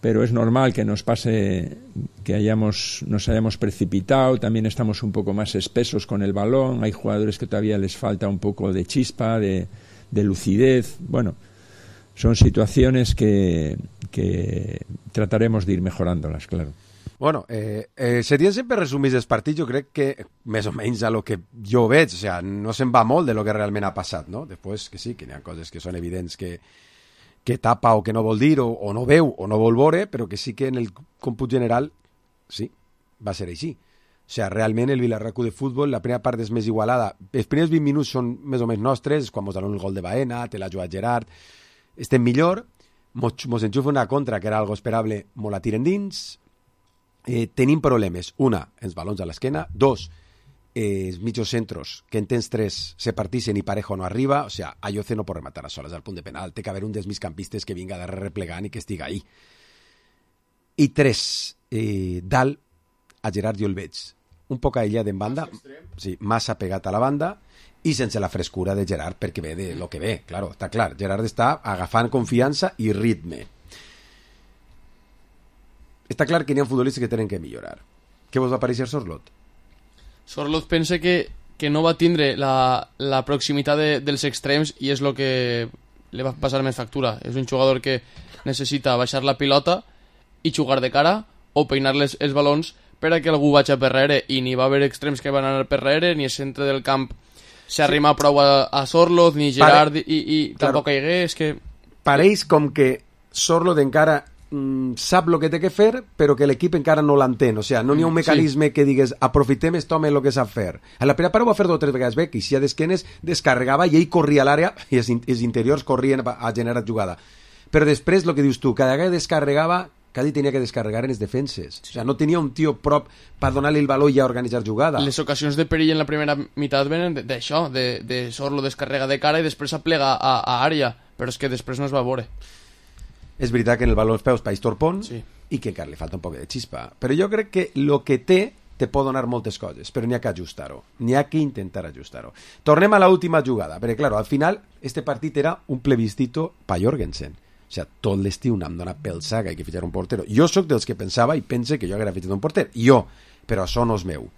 pero es normal que nos pase que hayamos nos hayamos precipitado, también estamos un poco más espesos con el balón, hay jugadores que todavía les falta un poco de chispa, de, de lucidez, bueno, son situaciones que, que trataremos de ir mejorándolas, claro. Bueno, eh, eh, Setién sempre resumís els partits, jo crec que més o menys a lo que jo veig, o sea, no se'n va molt de lo que realment ha passat, no? Després que sí, que hi ha coses que són evidents que, que tapa o que no vol dir, o, o no veu, o no vol veure, però que sí que en el còmput general, sí, va ser així. O sigui, realment el Villarreal de futbol, la primera part és més igualada. Els primers vint minuts són més o menys nostres, quan mos donen el gol de Baena, te l'ha jugat Gerard, estem millor, mos, mos enxufa una contra, que era algo esperable, mos la tiren dins, eh, tenim problemes. Una, els balons a l'esquena. Dos, eh, els mitjos centros, que en temps tres se partixen i Parejo no arriba. O sigui, Ayoce no pot rematar a soles al punt de penal. Té que haver un dels migcampistes que vinga de replegant i que estiga ahí. I tres, eh, dalt a Gerard jo el veig un poc aïllat en banda, sí, massa pegat a la banda i sense la frescura de Gerard, perquè ve de lo que ve, claro, està clar. Gerard està agafant confiança i ritme. Està clar que n'hi ha futbolistes que tenen que millorar. Què vos va pareixer Sorloth? Sorloth pensa que, que no va tindre la, la proximitat de, dels extrems i és el que li va passar més factura. És un jugador que necessita baixar la pilota i jugar de cara o peinar les, els balons per a que algú vagi per darrere, i ni va haver extrems que van anar per darrere, ni el centre del camp s'arrima sí. prou a, a Sorloth, ni Gerard, Pare... i, i claro. tampoc caigué, és que... Pareix com que Sorloth encara mm, sap el que té que fer, però que l'equip encara no l'entén, o sigui, no n'hi ha un mecanisme sí. que digues, aprofitem este home el que sap fer. A la primera part ho va fer dos o tres vegades bé, que si a d'esquenes descarregava i ell corria a l'àrea, i els, els interiors corrien a generar jugada. Però després, el que dius tu, cada vegada descarregava, cada tenia que descarregar en les defenses. O sigui, no tenia un tio prop per donar-li el valor i a organitzar jugada. Les ocasions de perill en la primera meitat venen d'això, de, de Sorloth descarrega de cara i després s'aplega a, a àrea, però és que després no es va veure. És veritat que en el valor els peus país torpon sí. i que encara li falta un poc de xispa. Però jo crec que el que té te pot donar moltes coses, però n'hi ha que ajustar-ho. N'hi ha que intentar ajustar-ho. Tornem a l'última jugada, perquè, claro, al final, este partit era un plebiscito pa Jorgensen. O sigui, tot l'estiu n'hem donat pel sac, hay que fitxar un portero. Jo sóc dels que pensava i pense que jo haguera fitxat un porter. Jo, però això no és meu.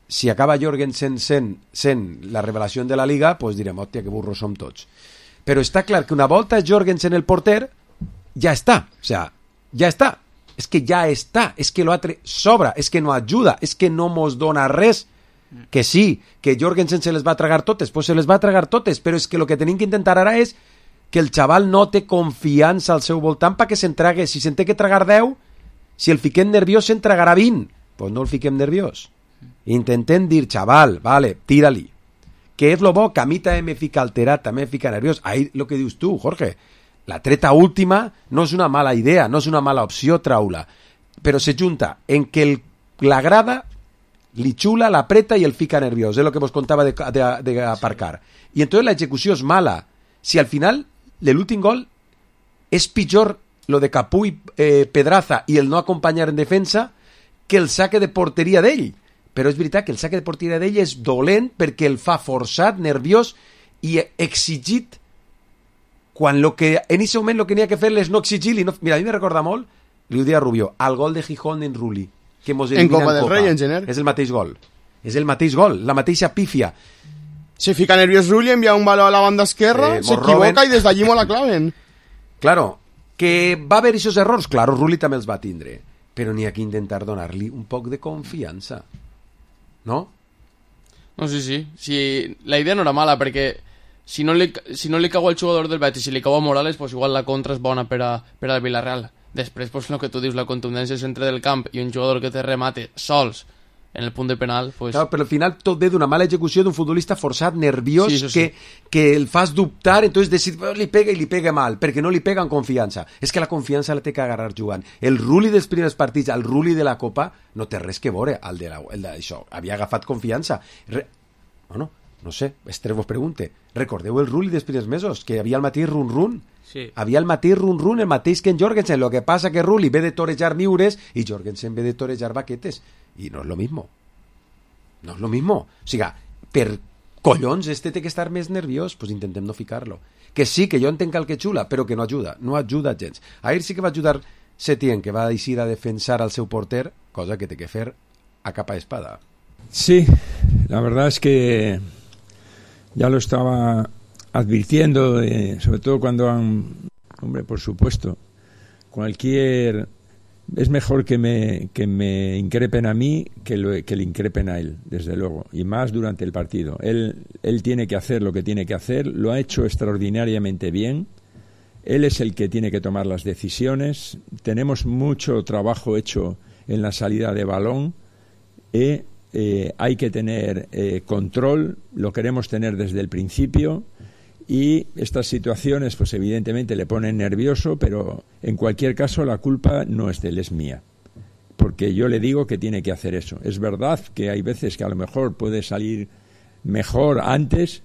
Si acaba Jorgensen sent, sent la revelació de la Liga, doncs direm, hòstia, que burros som tots. Però està clar que una volta Jorgensen el porter, ja està. O sigui, ja està. És que ja està. És que l'altre sobra. És que no ajuda. És que no mos dona res. Que sí, que Jorgensen se les va tragar totes, doncs se les va tragar totes, però és que el que tenim que intentar ara és que el xaval no té confiança al seu voltant perquè se'n trague. Si se'n té que tragar deu, si el fiquem nerviós se'n tragarà vint. Doncs pues no el fiquem nerviós. Intentem dir, xaval, vale, tira-li. Que és lo bo, que a mi també me fica alterat, també me fica nerviós. Ahí lo que dius tu, Jorge, la treta última no és una mala idea, no és una mala opció traula, però se junta en que el, la grada li xula, l'apreta i el fica nerviós. És el que vos contava de, de, de aparcar. I entonces la execució és mala. Si al final l'últim gol és pitjor lo de Capuy, eh, Pedraza i el no acompanyar en defensa que el saque de porteria d'ell. Però és veritat que el saque de porteria d'ell és dolent perquè el fa forçat, nerviós i exigit, quan lo que, en aquest moment el que n'hi ha que fer és no exigir-li. No... Mira, a mi me recorda molt, li ho deia Rubio, al gol de Gijón en Rulli, que mos en Copa del Copa. Rei, en gener. És el mateix gol. És el mateix gol, la mateixa pífia. Se fica nerviós Rulli, envía un balón a la banda esquerra, eh, se equivoca y desde allí mo la claven. Claro, que va haver esos errors, claro, Rulli també els va tindre, però n'hi ha que intentar donar-li un poc de confiança, no? No, sí, sí, sí, la idea no era mala, perquè si no li, si no li cau al jugador del Betis, si li cau a Morales, pues igual la contra és bona per a, per a Villarreal. Després, pues el que tu dius, la contundència al centre del camp i un jugador que te remate sols en el punt de penal, pues... Claro, però al final tot ve d'una mala execució d'un futbolista forçat, nerviós, sí, sí. que, que el fas dubtar, entonces decid, oh, li pega i li pega mal, perquè no li pega en confiança. És que la confiança la té que agarrar jugant. El Rulli dels primers partits, el Rulli de la Copa, no té res que veure al de, la, el de això. Havia agafat confiança. Re... Bueno, no sé, Esther vos pregunte. Recordeu el Rulli dels primers mesos, que havia el mateix run-run? Sí. Havia el mateix run-run, el mateix que en Jorgensen. Lo que passa que Rulli ve de torejar miures i Jorgensen ve de torejar baquetes. I no és lo mismo. No és lo mismo. O sigui, per collons, este té que estar més nerviós, pues intentem no ficar-lo. Que sí, que jo entenc el que xula, però que no ajuda. No ajuda gens. Ahir sí que va ajudar Setién, que va deixar a defensar al seu porter, cosa que té que fer a capa espada. Sí, la verdad es que ya lo estaba advirtiendo, eh, sobre todo cuando han, hombre, por supuesto, cualquier es mejor que me, que me increpen a mí que, lo, que le increpen a él, desde luego, y más durante el partido. Él, él tiene que hacer lo que tiene que hacer, lo ha hecho extraordinariamente bien, él es el que tiene que tomar las decisiones, tenemos mucho trabajo hecho en la salida de balón, y eh, hay que tener eh, control, lo queremos tener desde el principio, y estas situaciones pues evidentemente le ponen nervioso, pero en cualquier caso la culpa no es de él, es mía, porque yo le digo que tiene que hacer eso. Es verdad que hay veces que a lo mejor puede salir mejor antes,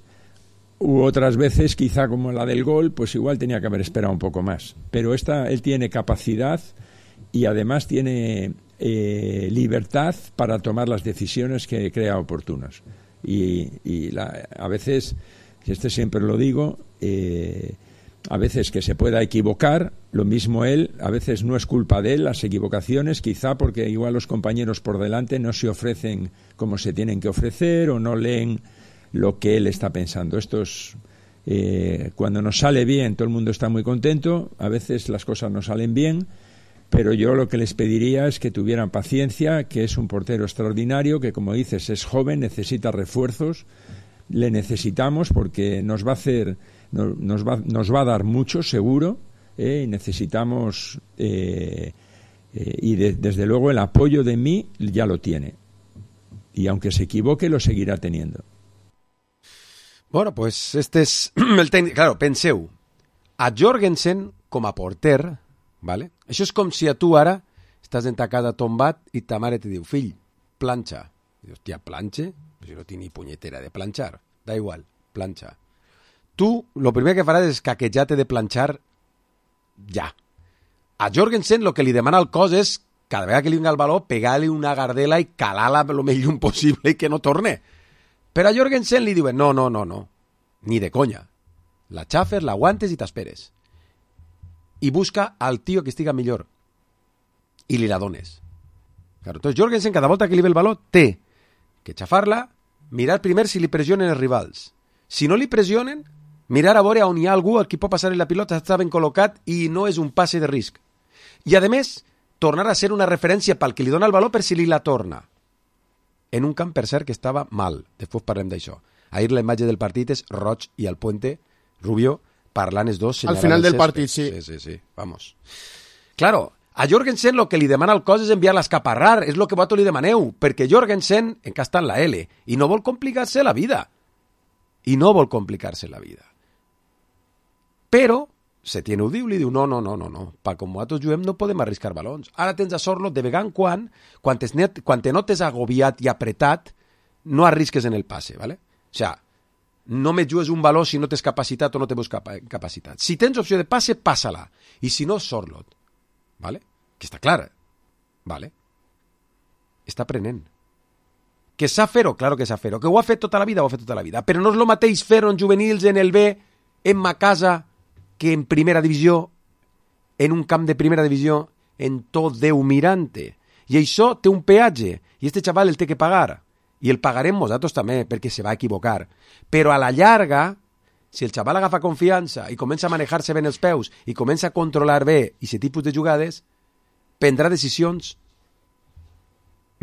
u otras veces quizá como la del gol, pues igual tenía que haber esperado un poco más, pero esta, él tiene capacidad y además tiene eh, libertad para tomar las decisiones que crea oportunas, y, y la, a veces, este siempre lo digo, eh, a veces que se pueda equivocar, lo mismo él, a veces no es culpa de él las equivocaciones, quizá porque igual los compañeros por delante no se ofrecen como se tienen que ofrecer o no leen lo que él está pensando. Esto es, eh, cuando nos sale bien todo el mundo está muy contento, a veces las cosas no salen bien, pero yo lo que les pediría es que tuvieran paciencia, que es un portero extraordinario, que como dices es joven, necesita refuerzos, le necesitamos porque nos va a hacer, nos, nos, va, nos va a dar mucho seguro, eh, y necesitamos eh, eh, y de, desde luego el apoyo de mí ya lo tiene, y aunque se equivoque lo seguirá teniendo. Bueno, pues este és el tècnic. Claro, penseu, a Jorgensen com a porter, ¿vale? Això és com si a tu ara estàs en ta casa tombat i ta mare te diu, fill, planxa. I dius, hòstia, planxe? Pues no tinc ni punyetera de planxar. Da igual, planxa. Tu, lo primer que faràs és caquejar-te de planxar ja. A Jorgensen lo que li demana al cos és, cada vegada que li vinga el baló, pegar-li una gardela i calar-la lo més lluny possible i que no torne. Però a Jorgensen li diuen, no, no, no, no, ni de conya. La xafes, la aguantes i t'esperes. I busca al tio que estiga millor. I li la dones. Claro, entonces Jorgensen, cada volta que li ve el baló, té que xafar-la, mirar primer si li pressionen els rivals. Si no li pressionen, mirar a veure on hi ha algú al qui pot passar la pilota, està ben col·locat i no és un passe de risc. I, a més, tornar a ser una referència pel que li dona el baló per si li la torna. En un camp, per cert, que estava mal. Després parlem d'això. Ahir la imatge del partit és Roig i el Puente, Rubio, parlant els dos. Al final del partit, sí. Sí, sí, sí. Vamos. Claro, a Jorgensen lo que li demana al cos és enviar-la a escaparrar. És lo que vosaltres li demaneu. Perquè Jorgensen encara està en la L i no vol complicar-se la vida. I no vol complicar-se la vida. Però Setién ho diu, li diu, no, no, no, no, no. Pa com nosaltres juguem no podem arriscar balons. Ara tens a Sorlo, de vegada en quan, quan, net, quan te notes agobiat i apretat, no arrisques en el passe, ¿vale? O sea, no me jugues un baló si no tens capacitat o no tens capacitat. Si tens opció de passe, passa-la. I si no, Sorlot. ¿Vale? Que està clar. ¿Vale? Està aprenent. Que sap fer-ho? Claro que sap fer-ho. Que ho ha fet tota la vida? Ho ha fet tota la vida. Però no és el mateix fer-ho en juvenils, en el B, en ma casa, que en primera divisió, en un camp de primera divisió, en tot Déu mirante. I això té un peatge, i este xaval el té que pagar. I el pagarem nosaltres també, perquè se va equivocar. Però a la llarga, si el xaval agafa confiança i comença a manejar-se ben els peus i comença a controlar bé aquest tipus de jugades, prendrà decisions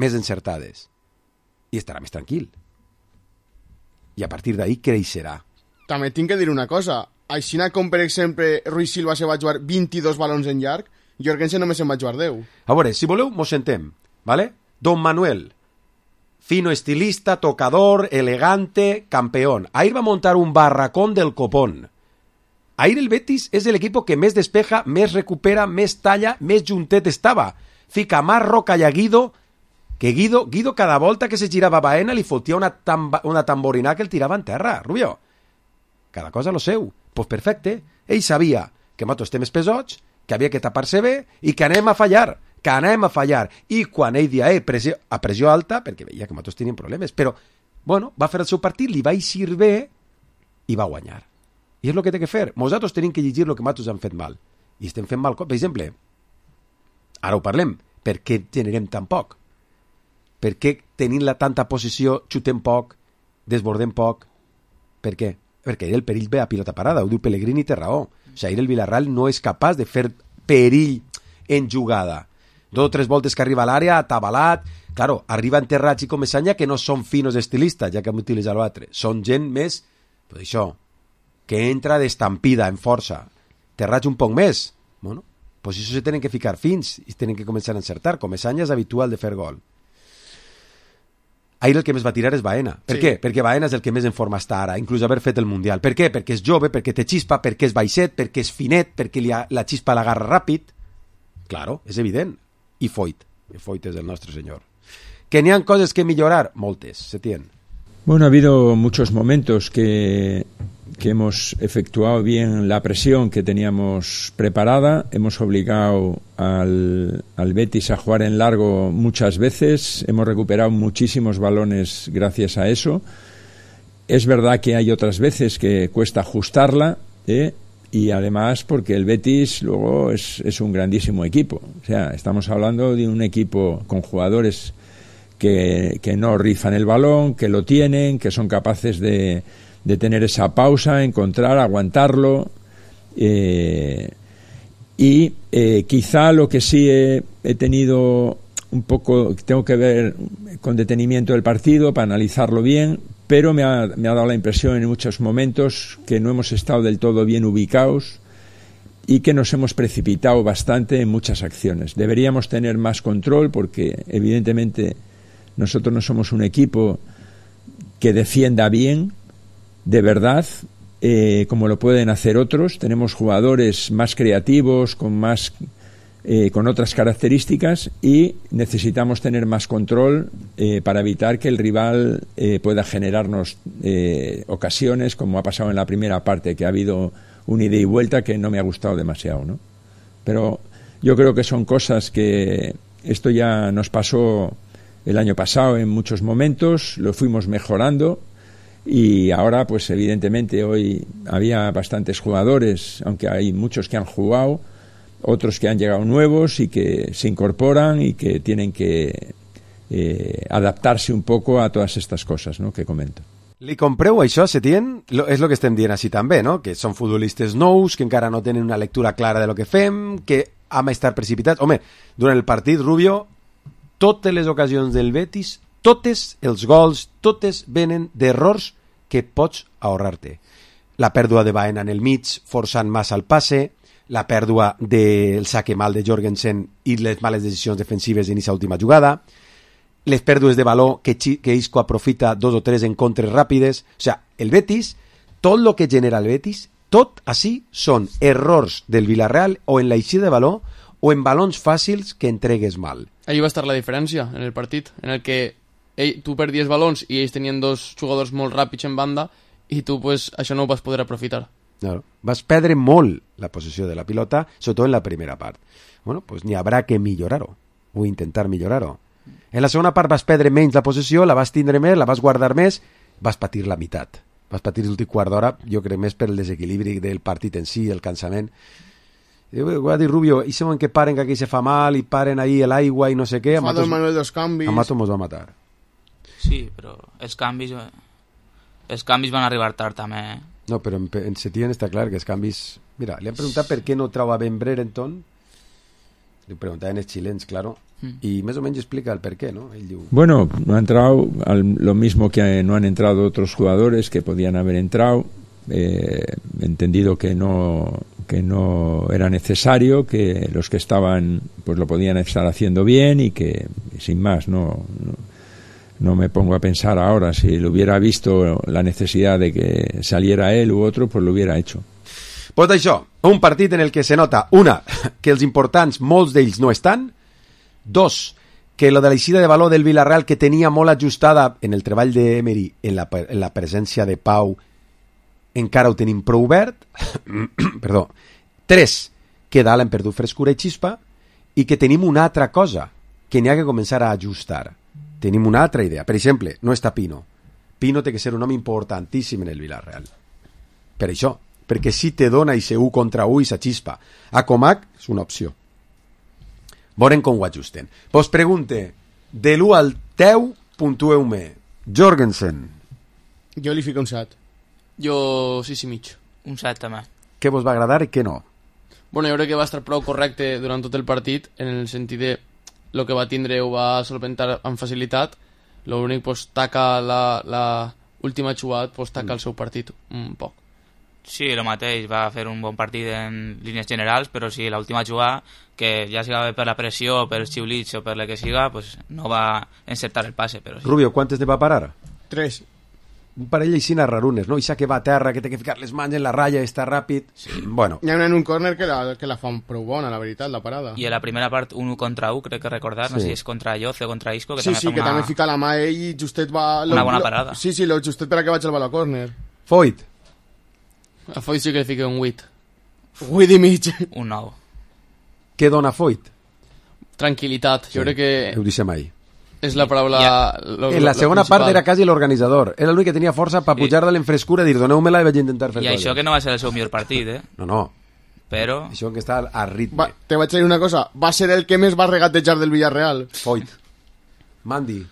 més encertades i estarà més tranquil. I a partir d'ahí creixerà. També tinc que dir una cosa. Així com, per exemple, Ruiz Silva se va jugar vint-i-dos balons en llarg, Jorgensen només se'n va jugar deu. A veure, si voleu, mos sentem, ¿vale? Don Manuel, fino estilista, tocador, elegante, campeón. Ahir va montar un barracón del copón. Ahir el Betis és l'equip que més despeja, més recupera, més talla, més juntet estava. Fica más roca i a Guido, que Guido, Guido cada volta que se girava a Baena li fotia una, tamba, una tamborina que el tirava en terra, Rubio. Cada cosa lo seu. Pues perfecte. Ell sabia que nosaltres estem pesots, que havia que tapar-se bé i que anem a fallar, que anem a fallar. I quan ell dia eh, pressió, a pressió alta, perquè veia que nosaltres teníem problemes, però, bueno, va fer el seu partit, li va eixir bé i va guanyar. I és el que té que fer. Nosaltres tenim que llegir el que nosaltres hem fet mal. I estem fent mal. Per exemple, ara ho parlem, per què generem tan poc? Per què tenint la tanta posició xutem poc, desbordem poc? Per què? Perquè el perill ve a pilota parada, ho diu Pellegrini i té raó. O sigui, el Villarreal no és capaç de fer perill en jugada. dos o tres voltes que arriba a l'àrea, atabalat. Claro, arriben Terrats i Comesaña que no són finos estilistes, ja que hem utilitzat l'altre. Són gent més, pues això, que entra d'estampida, en força. Terrats un poc més. Bueno, pues això se tenen que ficar fins i tenen que començar a encertar. Comesaña és habitual de fer gol. Ahir el que més va tirar és Baena. Per sí. què? Perquè Baena és el que més en forma està ara, inclús haver fet el Mundial. Per què? Perquè és jove, perquè té xispa, perquè és baixet, perquè és finet, perquè li ha, la xispa l'agarra ràpid. Claro, és evident. I Foyt. I Foyt és el nostre senyor. Que n'hi ha coses que millorar? Moltes, se tienen. Bueno, ha habido muchos momentos que, que hemos efectuado bien la presión que teníamos preparada. Hemos obligado al, al Betis a jugar en largo muchas veces. Hemos recuperado muchísimos balones gracias a eso. Es verdad que hay otras veces que cuesta ajustarla, ¿eh? Y además porque el Betis luego es, es un grandísimo equipo. O sea, estamos hablando de un equipo con jugadores que, que no rifan el balón, que lo tienen, que son capaces de, de tener esa pausa, encontrar, aguantarlo. Eh, y eh, quizá lo que sí he, he tenido un poco, tengo que ver con detenimiento el partido para analizarlo bien, pero me ha, me ha dado la impresión en muchos momentos que no hemos estado del todo bien ubicados y que nos hemos precipitado bastante en muchas acciones. Deberíamos tener más control porque evidentemente nosotros no somos un equipo que defienda bien, de verdad, eh, como lo pueden hacer otros. Tenemos jugadores más creativos, con más eh, con otras características y necesitamos tener más control eh, para evitar que el rival eh, pueda generarnos eh, ocasiones, como ha pasado en la primera parte, que ha habido un ida y vuelta que no me ha gustado demasiado, ¿no? Pero yo creo que son cosas que esto ya nos pasó el año pasado en muchos momentos, lo fuimos mejorando y ahora pues evidentemente hoy había bastantes jugadores, aunque hay muchos que han jugado, otros que han llegado nuevos y que se incorporan y que tienen que eh, adaptarse un poco a todas estas cosas, ¿no?, que comento. Li compreu això, Setién? Lo, és el que estem dient així també, no? Que són futbolistes nous, que encara no tenen una lectura clara de lo que fem, que hem estat precipitats. Home, durant el partit, Rubio, totes les ocasions del Betis, totes els gols, totes venen d'errors que pots ahorrar-te. La pèrdua de Baena en el mig, forçant massa el passe, la pèrdua del saque mal de Jorgensen i les males decisions defensives en aquesta última jugada, les pèrdues de valor que, que Isco aprofita dos o tres en contres ràpides. O sea, el Betis, tot el que genera el Betis, tot així són errors del Villarreal o en l'eixida de valor o en balons fàcils que entregues mal. Ahí va estar la diferència en el partit, en el que ell, tu perdies balons i ells tenien dos jugadors molt ràpids en banda i tu pues, això no ho vas poder aprofitar. Claro. Vas perdre molt la possessió de la pilota, sobretot en la primera part. Bueno, pues n'hi haurà que millorar-ho, o intentar millorar-ho. En la segona part vas perdre menys la possessió, la vas tindre més, la vas guardar més, vas patir la meitat. Vas patir l'últim quart d'hora, jo crec més per el desequilibri del partit en si, el cansament. Ho va dir Rubio, i segon que paren que aquí se fa mal, i paren ahí l'aigua i no sé què. Fa dos Manuel dos canvis. A Mato mos va matar. Sí, però els canvis, els canvis van arribar tard també, eh? No, però en, en Setién està clar que els canvis... Mira, li han preguntat per què no troba ben Brereton. Li preguntaven els xilens, claro. Mm. Y más o menos explica el por qué, ¿no? Diu... Bueno, no ha entrado al, lo mismo que no han entrado otros jugadores que podían haber entrado. Eh, entendido que no que no era necesario, que los que estaban pues lo podían estar haciendo bien y que sin más no, no, no me pongo a pensar ahora si lo hubiera visto la necesidad de que saliera él u otro, pues lo hubiera hecho. Pues d'això, un partit en el que se nota, una, que els importants, molts d'ells no estan, dos, que lo de l'eixida de valor del Villarreal, que tenia molt ajustada en el treball d'Emery, en la, en la presència de Pau, encara ho tenim prou obert. Perdó. Tres, que dalt hem perdut frescura i xispa, i que tenim una altra cosa que n'hi ha que començar a ajustar. Tenim una altra idea. Per exemple, no està Pino. Pino té que ser un home importantíssim en el Villarreal. Per això, perquè si te dona i se u contra u i sa xispa. A Comac és una opció. Veurem com ho ajusten. Vos pregunte, de l'u al deu, puntueu-me. Jorgensen. Jo li fico un set. Jo sis i mig. Un set també. Què vos va agradar i què no? Bueno, jo crec que va estar prou correcte durant tot el partit, en el sentit de el que va tindre ho va solventar amb facilitat. L'únic, pues, taca la, la última jugada, pues, taca el seu partit un poc. Sí, el mateix, va fer un bon partit en línies generals, però sí, l'última jugada, que ja sigui per la pressió, per els xiulits o per la que siga, pues, no va encertar el passe. Però sí. Rubio, quantes ne va parar? Tres. Un parell així rarunes, no? Ixa que va a terra, que té que ficar les mans en la ratlla, està ràpid... Sí. Bueno. Hi ha en un córner que la, que la fan prou bona, la veritat, la parada. I a la primera part, un contra un, crec que recordar, sí. No sé si és contra Yoce o contra Isco, que sí, també sí, fa que una... també fica la mà ell i justet va... Una lo, bona lo, parada. Sí, sí, lo justet per a que vaig al bal a córner. Foyt. A Foyt sí que li fica un vuit. vuit i mig. Un nou. Què dona Foyt? Tranquil·litat. Jo sí. crec que... Ho deixem ahí. És la paraula... Yeah. Lo, en la segona part era quasi l'organitzador. Era l'únic que tenia força per pujar de l'enfrescura i dir, doneu-me-la i vaig intentar fer I això que no va ser el seu millor partit, eh? No, no. Però... Això que està a ritme. Va, te vaig dir una cosa. Va ser el que més va regatejar del Villarreal. Foyt. Mandy.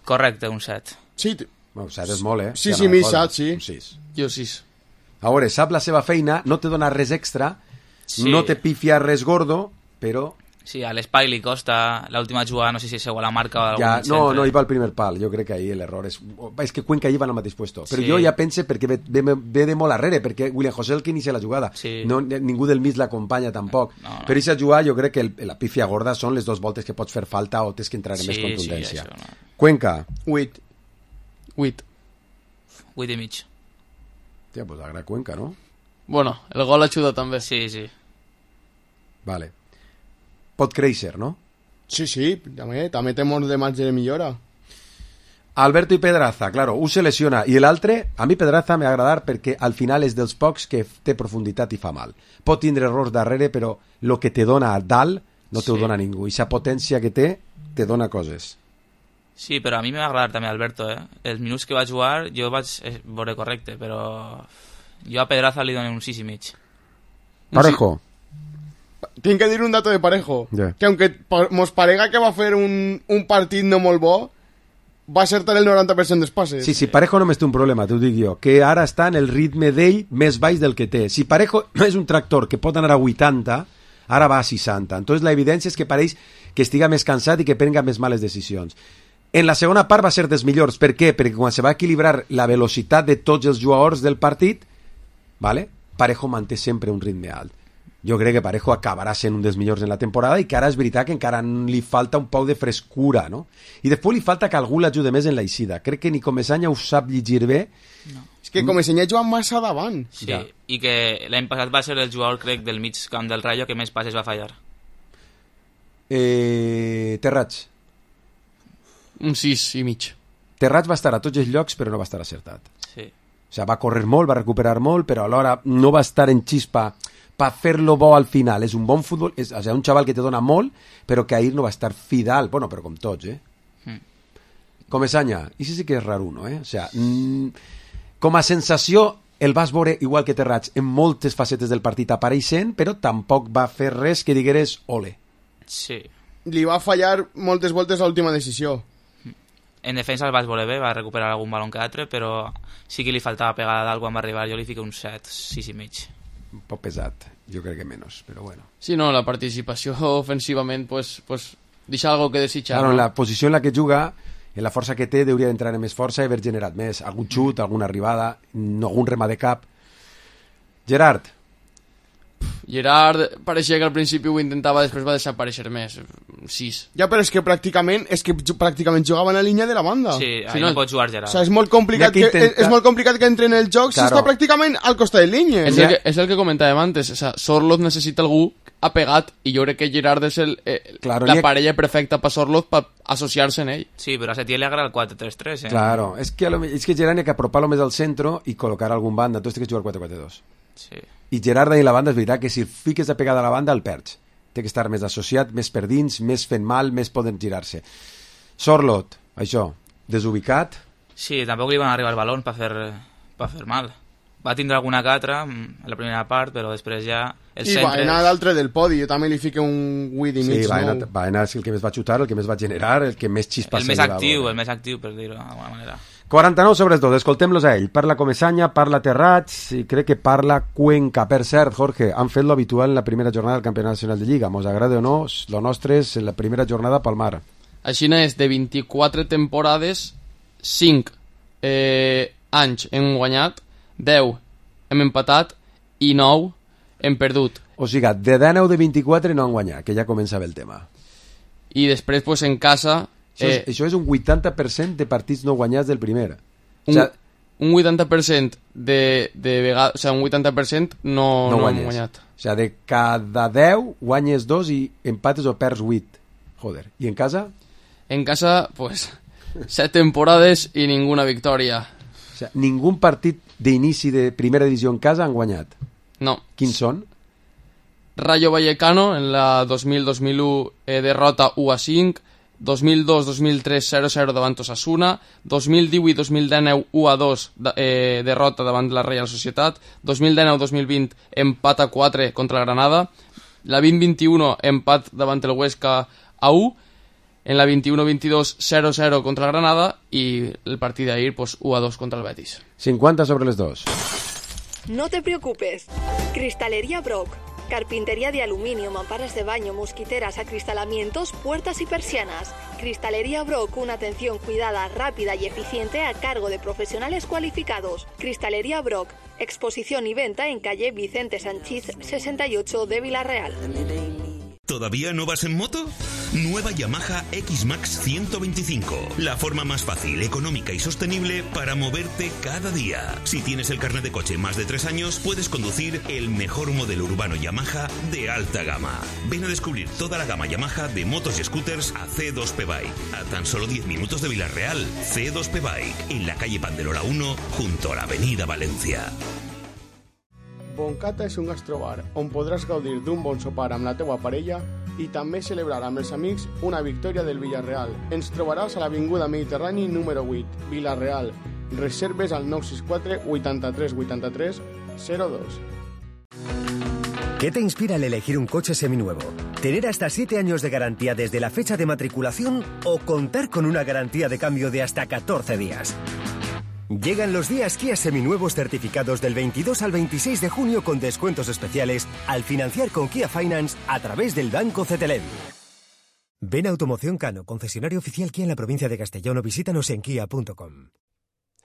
Correcte, un set. Sí. Bueno, set és molt, eh? Sí, sí, mi set, sí. Un sis. Jo sis. A veure, sap la seva feina, no te dona res extra, sí. No te pifia res gordo, però... Sí, a l'Espai li costa l'última jugada, no sé si és a la marca o algun ja, centre. No, no, hi va el primer pal, jo crec que ahí l'error és... És que Cuenca hi va al mateix puesto, però sí. Jo ja pense perquè ve, ve, ve de molt arrere, perquè William José el que inicia la jugada, sí. No, ningú del mig l'acompanya tampoc, no, no. Però aquesta jugada jo crec que el, la pífia gorda són les dues voltes que pots fer falta o tens que entrar en sí, més contundència. Sí, això, no. Cuenca. Vuit. Vuit. Vuit i mig. Tia, pues agrada Cuenca, no? Bueno, el gol ajuda també. Sí, sí. Vale. Pot créixer, no? Sí, sí, també, també té molt de marge de millora. Alberto i Pedraza, claro, un se lesiona i l'altre, a mi Pedraza m'ha agradar perquè al final és dels pocs que té profunditat i fa mal. Pot tindre errors darrere, però el que te dona a dalt no te ho sí. dona ningú. I la potència que té, te dona coses. Sí, però a mi m'ha agradat també Alberto, eh? Els minuts que va jugar jo vaig veure correcte, però jo a Pedraza li dono un sis i mig. Parejo. Tinc que dir un dato de Parejo, yeah. Que aunque mos parega que va fer un, un partit no molt bo, va acertar el noranta per cent dels passes. Sí, sí, Parejo només té un problema, t'ho dic jo, que ara està en el ritme d'ell més baix del que té. Si Parejo no és un tractor que pot anar a vuitanta, ara va a seixanta. Entonces la evidència és que pareix que estiga més cansat i que prenga més males decisions. En la segona part va ser dels millors. Per què? Perquè quan se va equilibrar la velocitat de tots els jugadors del partit, ¿vale? Parejo manté sempre un ritme alt. Jo crec que Parejo acabarà sent un dels millors en la temporada i que ara és veritat que encara li falta un poc de frescura, no? I després li falta que algú l'ajude més en la eixida. Crec que ni Comesaña ho sap llegir bé. No. És que Comesaña juga massa davant. Sí, ja. I que l'any passat va ser el jugador, crec, del mig camp del Rayo que més passes va fallar. Eh, Terrats. Un sis i mig. Terrats va estar a tots els llocs però no va estar acertat. Sí. O sigui, va córrer molt, va recuperar molt, però alhora no va estar en xispa per fer-lo bo al final. És un bon futbol, és o sigui, un xaval que te dona molt, però que ahir no va estar fidal. Bueno, però com tots, eh? Mm. Comesaña, i sí, sí que és raro, no, eh? O sigui, mm, com a sensació, el vas veure igual que Terrats en moltes facetes del partit apareixent, però tampoc va fer res que digueres ole. Sí. Li va fallar moltes voltes a l'última decisió. En defensa el vas veure bé, va recuperar algun balon que altre, però sí que li faltava pegada dalt quan va arribar. Jo li fico un set, sis i mig. Un poc pesat, jo crec que menys, però bueno. Sí, no, la participació ofensivament pues, pues, deixa algo que desitjar. Claro, no? En la posició en la que juga, en la força que té, hauria d'entrar en més força i haver generat més. Algun xut, alguna arribada, algun remat de cap. Gerard. Gerard pareixia que al principi ho intentava, després va desaparèixer més. sis. Ja, però és que pràcticament és que pràcticament jugava en la línia de la banda. Sí, ahí sí, no, no pot jugar Gerard. O sigui, és molt complicat que, que intenta... és molt complicat que entre en el joc claro. Si està pràcticament al costat de línia. És el que, és el que comentàvem antes, o sea, Sorloth necessita algú apegat i jo crec que Gerard és el, eh, claro, la parella perfecta per Sorloth per associar-se en ell. Sí, però a Setién li agrada el quatre tres tres, eh? Claro, és que, lo, és que Gerard ha que apropar-lo més al centre i col·locar algun banda, entonces té que jugar quatre quatre dos. Sí. I Gerard ahí la banda és veritat que si fiques de pegada a la banda el perds. Té que estar més associat, més per dins, més fent mal, més poden girar-se. Sorloth, això, desubicat. Sí, tampoc li van arribar el balón per fer, per fer mal. Va tindre alguna que altra en la primera part, però després ja... El I centre... va anar d'altre del podi, jo també li fico un vuit i mig. Sí, va anar, no? va anar el que més va xutar, el que més va generar, el que més xispa el se més li va actiu, veure. el més actiu, per dir-ho d'alguna manera. quaranta-nou sobre els dos, escoltem-los a ell. Parla Comesanya, parla Terrats i crec que parla Cuenca. Per cert, Jorge, han fet lo habitual en la primera jornada del Campionat Nacional de Lliga. Mos agrada o no, lo nostre és en la primera jornada pel mar. Així és, de vint-i-quatre temporades, cinc eh, anys hem guanyat, deu hem empatat i nou hem perdut. O sigui, de dinou de vint-i-quatre no han guanyat, que ja comença bé el tema. I després, pues, en casa... Això és, eh, això és un vuitanta per cent de partits no guanyats del primer. Un, o sea, un vuitanta per cent de, de vegades... O sea, un vuitanta per cent no, no, no han guanyat. O sea, de cada deu guanyes dos i empates o perds vuit. Joder. I en casa? En casa, pues, set temporades i ninguna victòria. O sea, ningú partit d'inici de primera divisió en casa han guanyat? No. Quins són? Rayo Vallecano, en la dos mil dos mil u, eh, derrota u a cinc, dos mil dos dos mil tres zero zero davant Osasuna, dos mil divuit dos mil dinou u a dos eh, derrota davant la Reial Societat, dos mil dinou dos mil vint empat a quatre contra el Granada, la vint vint-i-u empat davant el Huesca a u, en la vint-i-u vint-i-dos zero zero contra el Granada y el partido de ahir pues, u a dos contra el Betis. cincuenta sobre los dos. No te preocupes. Cristalería Brock. Carpintería de aluminio, mamparas de baño, mosquiteras, acristalamientos, puertas y persianas. Cristalería Brock, una atención cuidada, rápida y eficiente a cargo de profesionales cualificados. Cristalería Brock, exposición y venta en calle Vicente Sanchiz sesenta y ocho de Villarreal. ¿Todavía no vas en moto? Nueva Yamaha X-Max ciento veinticinco. La forma más fácil, económica y sostenible para moverte cada día. Si tienes el carnet de coche más de tres años, puedes conducir el mejor modelo urbano Yamaha de alta gama. Ven a descubrir toda la gama Yamaha de motos y scooters a C dos P Bike. A tan solo diez minutos de Villarreal, C dos P Bike, en la calle Panderola uno, junto a la avenida Valencia. Boncata és un gastrobar on podràs gaudir d'un bon sopar amb la teua parella i també celebrar amb els amics una victòria del Villarreal. Ens trobaràs a l'Avinguda Mediterrani número vuit, Villarreal. Reserves al nou sis quatre vuitanta-tres vuitanta-tres zero dos. ¿Qué te inspira al elegir un coche seminuevo? ¿Tener hasta siete años de garantía desde la fecha de matriculación o contar con una garantía de cambio de hasta catorce días? Llegan los días Kia seminuevos certificados del veintidós al veintiséis de junio con descuentos especiales al financiar con Kia Finance a través del Banco Cetelem. Ven a Automoción Cano, concesionario oficial Kia en la provincia de Castellón o visítanos en kia punto com.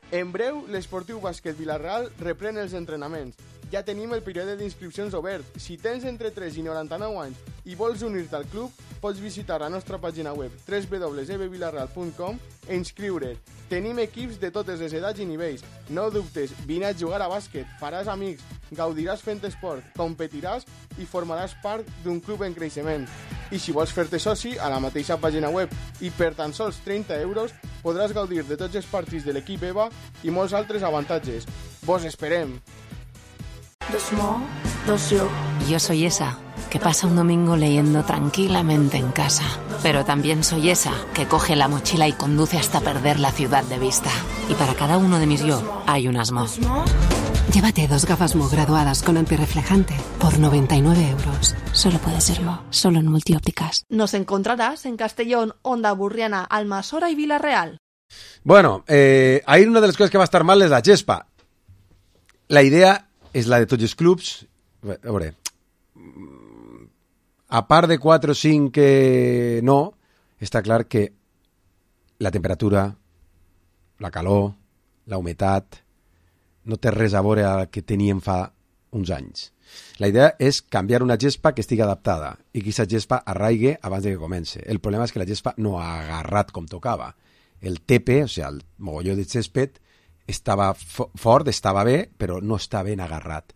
En breu, l'Esportiu Bàsquet Vilareal reprèn els entrenaments. Ja tenim el període d'inscripcions obert. Si tens entre tres i noranta-nou anys i vols unir-te al club, pots visitar la nostra pàgina web w w w punt e b vilareal punt com e inscriure't. Tenim equips de totes les edats i nivells. No dubtes, vine a jugar a bàsquet, faràs amics, gaudiràs fent esport, competiràs i formaràs part d'un club en creixement. I si vols fer-te soci, a la mateixa pàgina web i per tan sols trenta euros podràs gaudir de tots els partits de l'equip EVA i molts altres avantatges. Vos esperem! Dos Mo, dos yo. Yo soy esa que pasa un domingo leyendo tranquilamente en casa. Pero también soy esa que coge la mochila y conduce hasta perder la ciudad de vista. Y para cada uno de mis yo hay unas Mo. Llévate dos gafas Mo graduadas con antirreflejante por noventa y nueve euros. Solo puede ser Mo, solo en Multiópticas. Nos encontrarás en Castellón, Onda Burriana, Almasora y Villarreal. Bueno, eh, ahí una de las cosas que va a estar mal es la gespa. La idea és la de tots els clubs. A veure, a part de quatre o cinc que no, està clar que la temperatura, la calor, la humitat, no té res a veure a que teníem fa uns anys. La idea és canviar una gespa que estigui adaptada i que aquesta gespa arraigue abans de que comence. El problema és que la gespa no ha agarrat com tocava. El tepe, o sigui, el mogolló de césped, estava fort, estava bé, però no està ben agarrat.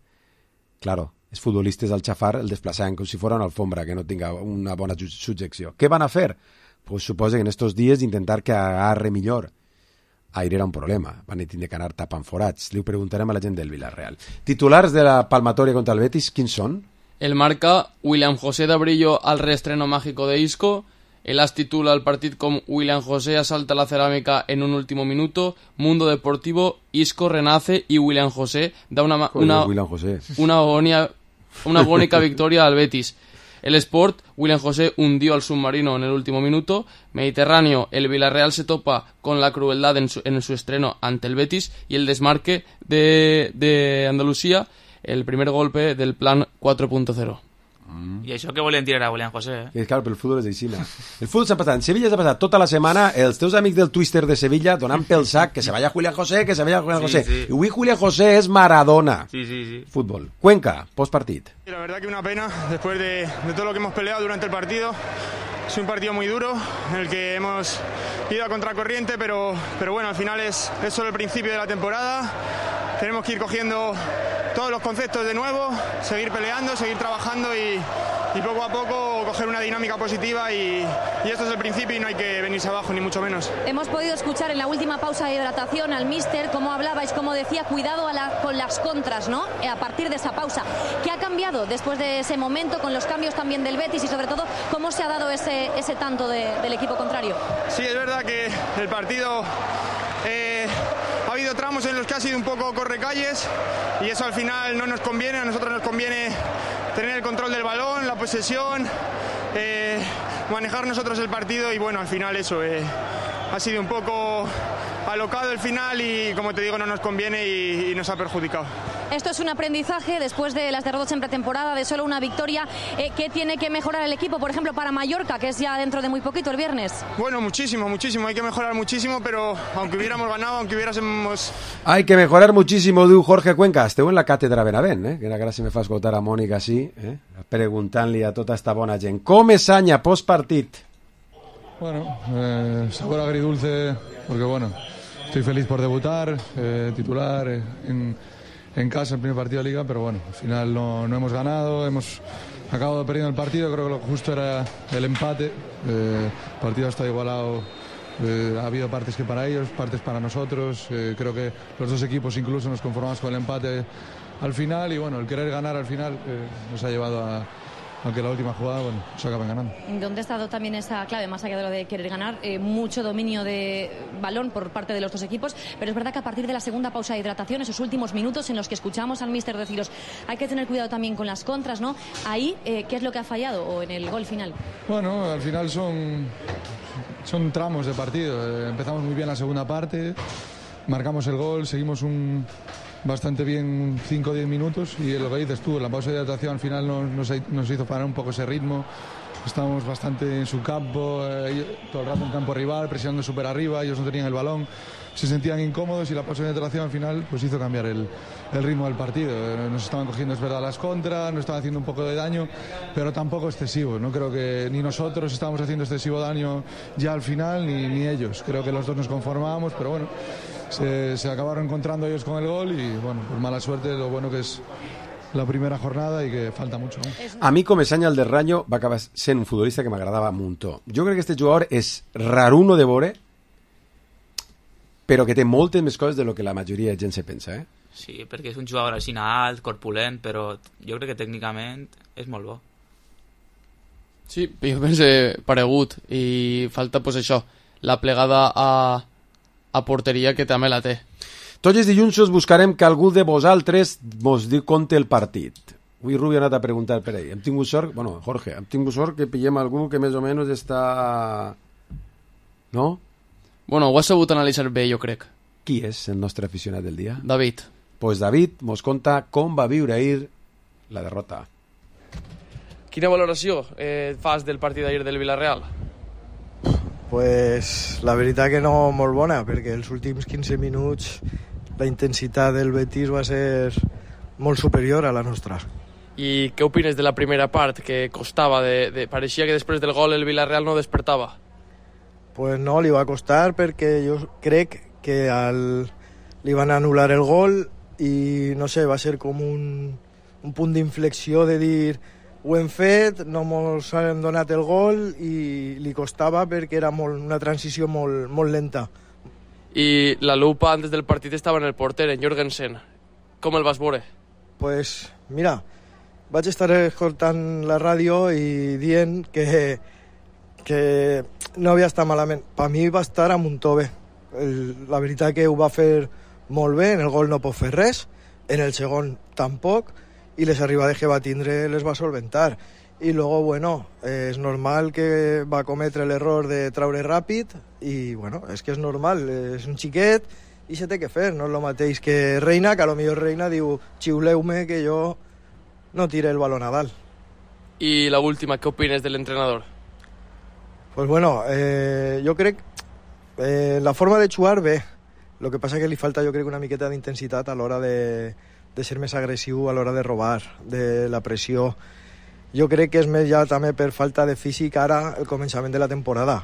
Claro, els futbolistes al xafar el desplaçaven com si fos una alfombra que no tinga una bona subjecció. Què van a fer? Pues suposa que en estos dies intentar que agarre millor. Ahir era un problema, van tindre que anar tapant forats. Li ho preguntarem a la gent del Villarreal. Titulars de la palmatòria contra el Betis, quins són? El marca William José Dabrillo al reestreno mágico de Isco. El As titula el partit com William José asalta la cerámica en un último minuto. Mundo Deportivo, Isco renace y William José da una, una, William José. una, agonia, una agónica victoria al Betis. El Sport, William José hundió al submarino en el último minuto. Mediterráneo, el Villarreal se topa con la crueldad en su, en su estreno ante el Betis. Y el desmarque de, de Andalucía, el primer golpe del plan cuatro punto cero. Mm. I això que volien tirar a William José, eh? I clar, però el futbol és així. El futbol s'ha passat, en Sevilla s'ha passat tota la setmana els teus amics del Twister de Sevilla donant pel sac que se vaya Julián José, que se vaya Julián José. Sí, sí. Y avui Julián José es Maradona. Sí, sí, sí. Fútbol. Cuenca, postpartit. La verdad que una pena, después de, de todo lo que hemos peleado durante el partido. Es un partido muy duro, en el que hemos ido a contracorriente, pero, pero bueno, al final es, es solo el principio de la temporada. Tenemos que ir cogiendo todos los conceptos de nuevo, seguir peleando, seguir trabajando y, y poco a poco coger una dinámica positiva y, y esto es el principio y no hay que venirse abajo, ni mucho menos. Hemos podido escuchar en la última pausa de hidratación al míster cómo hablabais, cómo decía, cuidado a la, con las contras, ¿no? A partir de esa pausa. ¿Qué ha cambiado después de ese momento, con los cambios también del Betis y sobre todo cómo se ha dado ese, ese tanto de, del equipo contrario? Sí, es verdad que el partido... Eh, ha habido tramos en los que ha sido un poco correcalles y eso al final no nos conviene, a nosotros nos conviene tener el control del balón, la posesión, eh, manejar nosotros el partido y bueno, al final eso eh, ha sido un poco alocado el final y como te digo no nos conviene y, y nos ha perjudicado. Esto es un aprendizaje después de las derrotas en pretemporada, de solo una victoria. Eh, ¿Qué tiene que mejorar el equipo, por ejemplo, para Mallorca, que es ya dentro de muy poquito, el viernes? Bueno, muchísimo, muchísimo. Hay que mejorar muchísimo, pero aunque hubiéramos ganado, aunque hubiéramos... Hay que mejorar muchísimo, diu Jorge Cuenca. Esteu en la càtedra Benavent, eh? Que ara si me fa escoltar a Mònica així, eh? Preguntant-li a tota esta bona gent. Com és Sanya postpartit? Bueno, eh, sabor agridulce, porque bueno, estoy feliz por debutar, eh, titular eh, en... en casa el primer partido de Liga, pero bueno, al final no, no hemos ganado, hemos acabado perdiendo el partido, creo que lo justo era el empate, eh, el partido está igualado, eh, ha habido partes que para ellos, partes para nosotros, eh, creo que los dos equipos incluso nos conformamos con el empate al final y bueno, el querer ganar al final eh, nos ha llevado a... aunque la última jugada, bueno, se acaban ganando. ¿Dónde ha estado también esa clave, más allá de lo de querer ganar? Eh, mucho dominio de balón por parte de los dos equipos, pero es verdad que a partir de la segunda pausa de hidratación, esos últimos minutos en los que escuchamos al míster deciros, hay que tener cuidado también con las contras, ¿no? Ahí, eh, ¿qué es lo que ha fallado o en el gol final? Bueno, al final son, son tramos de partido. Eh, empezamos muy bien la segunda parte, marcamos el gol, seguimos un... bastante bien cinco o diez minutos y lo que dices tú, la pausa de hidratación al final nos, nos, nos hizo parar un poco ese ritmo. Estábamos bastante en su campo, eh, todo el rato en campo rival, presionando súper arriba, ellos no tenían el balón, se sentían incómodos y la pausa de hidratación al final pues hizo cambiar el, el ritmo del partido. Eh, nos estaban cogiendo, es verdad, las contras, nos estaban haciendo un poco de daño, pero tampoco excesivo. No creo que ni nosotros estábamos haciendo excesivo daño ya al final, ni, ni ellos. Creo que los dos nos conformábamos, pero bueno, se, se acabaron encontrando ellos con el gol y bueno, por mala suerte, lo bueno que es la primera jornada i que falta mucho, no? A mi, com a Sanya el del Rayo, va acabar sent un futbolista que m'agradava un muntó. Jo crec que este jugador és raruno de veure, però que té moltes més coses de lo que la majoria de gent se pensa, eh? Sí, perquè és un jugador així alt, corpulent, però jo crec que tècnicament és molt bo. Sí, jo pense paregut, i falta, pues això, la plegada a, a porteria que també la té. Tots els dilluns us buscarem que algú de vosaltres mos diu conte el partit. Avui Rubi ha anat a preguntar per ell. Hem tingut sort, bueno, Jorge, hem tingut sort que pillem algú que més o menys està... No? Bueno, ho has sabut analitzar bé, jo crec. Qui és el nostre aficionat del dia? David. Pues David mos conta com va viure ahir la derrota. Quina valoració eh, fas del partit d'ahir del Villarreal? Pues la veritat que no molt bona, perquè els últims quinze minuts la intensitat del Betis va ser molt superior a la nostra. I què opines de la primera part, que costava? De, de, pareixia que després del gol el Villarreal no despertava. Pues no, li va costar perquè jo crec que al, li van anul·lar el gol i no sé, va ser com un, un punt d'inflexió de dir ho hem fet, no ens hem donat el gol i li costava perquè era molt, una transició molt, molt lenta. I la lupa antes del partit estava en el porter, en Jorgensen. Com el vas veure? Pues mira, vaig estar escoltant la ràdio i dient que, que no havia estat malament. Per mi va estar a muntó bé. El, la veritat que ho va fer molt bé, en el gol no pot fer res, en el segon tampoc, i les arribades que va tindre les va solventar. i luego, bueno, eh, és normal que va cometre l'error de traure ràpid i, bueno, és que és normal, és un xiquet i se té que fer, no és el mateix que Reina, que a lo millor Reina diu xiuleu-me que jo no tire el balón a dalt. I la última, què opines de l'entrenador? Pues bueno, eh, jo crec eh, la forma de jugar bé, el que passa que li falta jo crec una miqueta d'intensitat a l'hora de, de ser més agressiu, a l'hora de robar, de la pressió. Jo crec que és més ja també per falta de físic ara el començament de la temporada,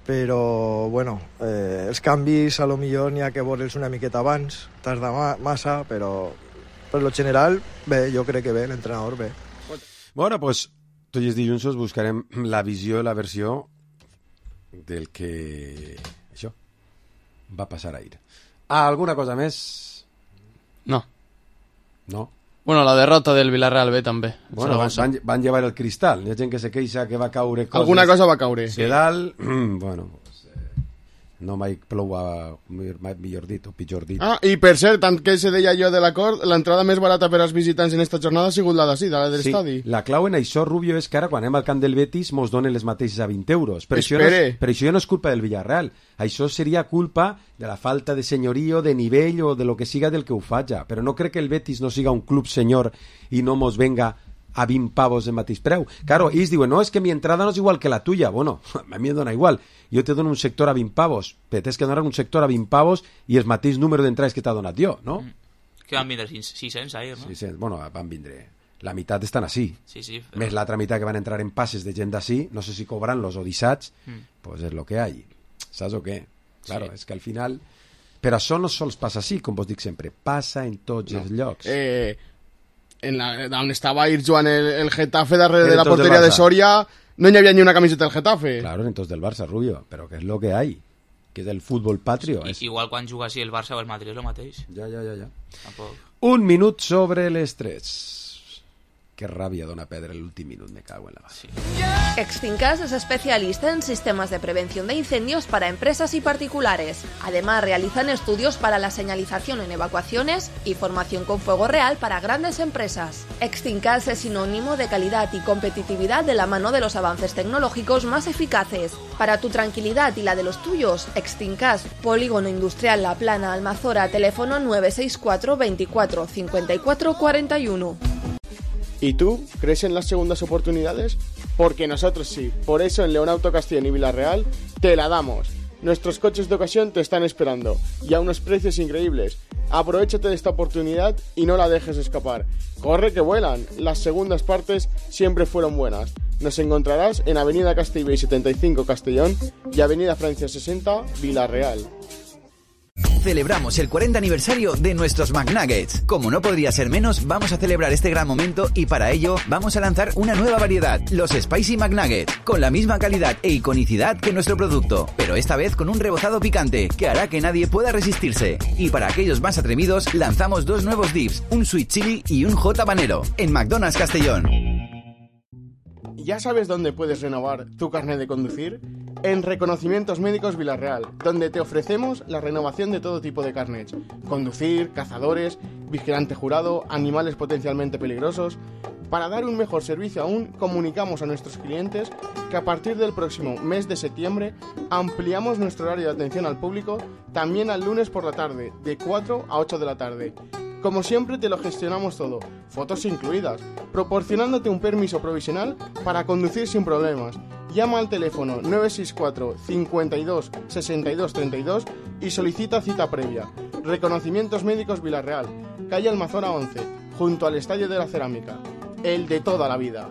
però bueno, eh, els canvis a lo millor n'hi ha que veure'ls una miqueta abans, tarda ma massa, però per lo general bé, jo crec que bé, l'entrenador bé. Bueno, pues tots els dilluns us buscarem la visió i la versió del que això va passar ahir. Ah, alguna cosa més? No. No? Bueno, la derrota del Villarreal B també. Bueno, van, van, van llevar el cristal. Hi ha gent que se queixa que va caure coses. Alguna cosa va caure. Que dalt, bueno, pues, eh, no mai plou a, millor dit, o pitjor dit. Ah, i per cert, tant que se deia jo de l'acord, l'entrada més barata per als visitants en esta jornada ha sigut la d'ací, de la de l'estadi. Sí, la clau en això, Rubio, és que ara quan anem al camp del Betis mos donen les mateixes a vint euros. Però això, no és, però això no és culpa del Villarreal. Això seria culpa de la falta de senyorio, de nivell o de lo que siga del que ho faja. Però no crec que el Betis no siga un club senyor i no mos venga a vint pavos de mateix preu. Claro, ells diuen, no, és que mi entrada no és igual que la tuya. Bueno, a mi em dona igual. Jo te dono un sector a vint pavos, però tens que donar un sector a vint pavos i el mateix número d'entrades que t'ha donat jo, no? Mm. Que van vindre sis-cents ahir, no? sis-cents, bueno, van vindre... La meitat estan així. Sí, sí. Però... Més l'altra meitat que van entrar en passes de gent d'ací, no sé si cobran-los o dissats, mm. pues és lo que hay. Saps o què? Claro, sí. És que al final... Però això no sols passa així, com vos dic sempre, passa en tots no. els llocs. Eh, en la, on estava ahir jugant el, el Getafe darrere de la porteria de Soria, no hi havia ni una camiseta del Getafe. Claro, en tots del Barça, Rubio, però que és lo que hay, que és el futbol patrio. Sí, és... Igual quan juga així el Barça o el Madrid és el mateix. Ja, ja, ja, ja. Tampoc. Un minut sobre les tres. Qué rabia dona perdre l'últim minut, me cago en la base. Extincas es especialista en sistemas de prevención de incendios para empresas y particulares. Además, realizan estudios para la señalización en evacuaciones y formación con fuego real para grandes empresas. Extincas es sinónimo de calidad y competitividad de la mano de los avances tecnológicos más eficaces. Para tu tranquilidad y la de los tuyos, Extincas, Polígono Industrial La Plana, Almazora, teléfono nueve seis cuatro veinticuatro cincuenta y cuatro cuarenta y uno. ¿Y tú? ¿Crees en las segundas oportunidades? Porque nosotros sí. Por eso en León Auto Castellón y Villarreal te la damos. Nuestros coches de ocasión te están esperando y a unos precios increíbles. Aprovechate de esta oportunidad y no la dejes escapar. Corre que vuelan. Las segundas partes siempre fueron buenas. Nos encontrarás en Avenida Castellbell setenta y cinco Castellón y Avenida Francia sesenta Villarreal. Celebramos el cuarenta aniversario de nuestros McNuggets. Como no podría ser menos, vamos a celebrar este gran momento y para ello vamos a lanzar una nueva variedad, los Spicy McNuggets, con la misma calidad e iconicidad que nuestro producto, pero esta vez con un rebozado picante que hará que nadie pueda resistirse. Y para aquellos más atrevidos, lanzamos dos nuevos dips, un sweet chili y un hot habanero, en McDonald's Castellón. ¿Ya sabes dónde puedes renovar tu carnet de conducir? En Reconocimientos Médicos Villarreal, donde te ofrecemos la renovación de todo tipo de carnets. Conducir, cazadores, vigilante jurado, animales potencialmente peligrosos. Para dar un mejor servicio aún, comunicamos a nuestros clientes que a partir del próximo mes de septiembre ampliamos nuestro horario de atención al público también al lunes por la tarde, de cuatro a ocho de la tarde. Como siempre te lo gestionamos todo, fotos incluidas, proporcionándote un permiso provisional para conducir sin problemas. Llama al teléfono nueve seis cuatro cincuenta y dos sesenta y dos treinta y dos y solicita cita previa. Reconocimientos Médicos Villarreal, calle Almazora once, junto al Estadio de la Cerámica. El de toda la vida.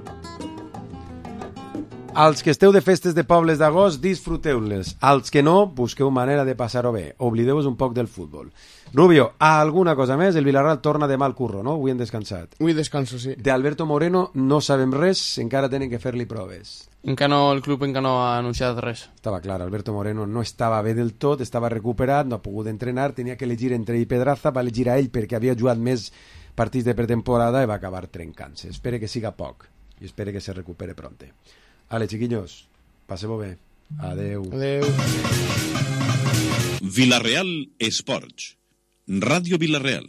Als que esteu de festes de pobles d'agost, disfruteu-les. Als que no, busqueu manera de passar-ho bé. Oblideu-vos un poc del futbol. Rubio, alguna cosa més? El Villarreal torna demà al curro, no? Avui hem descansat. Avui descanso, sí. De Alberto Moreno no sabem res, encara tenen que fer-li proves. Encara no, el club encara no ha anunciat res. Estava clar, Alberto Moreno no estava bé del tot, estava recuperat, no ha pogut entrenar, tenia que elegir entre ell i Pedraza, va elegir a ell perquè havia jugat més partits de pretemporada i va acabar trencant-se. Espere que siga poc i espere que se recupere pronte. Ale, chiquillos, passeu bé. Adeu. Adeu. Villarreal Esports. Ràdio Villarreal.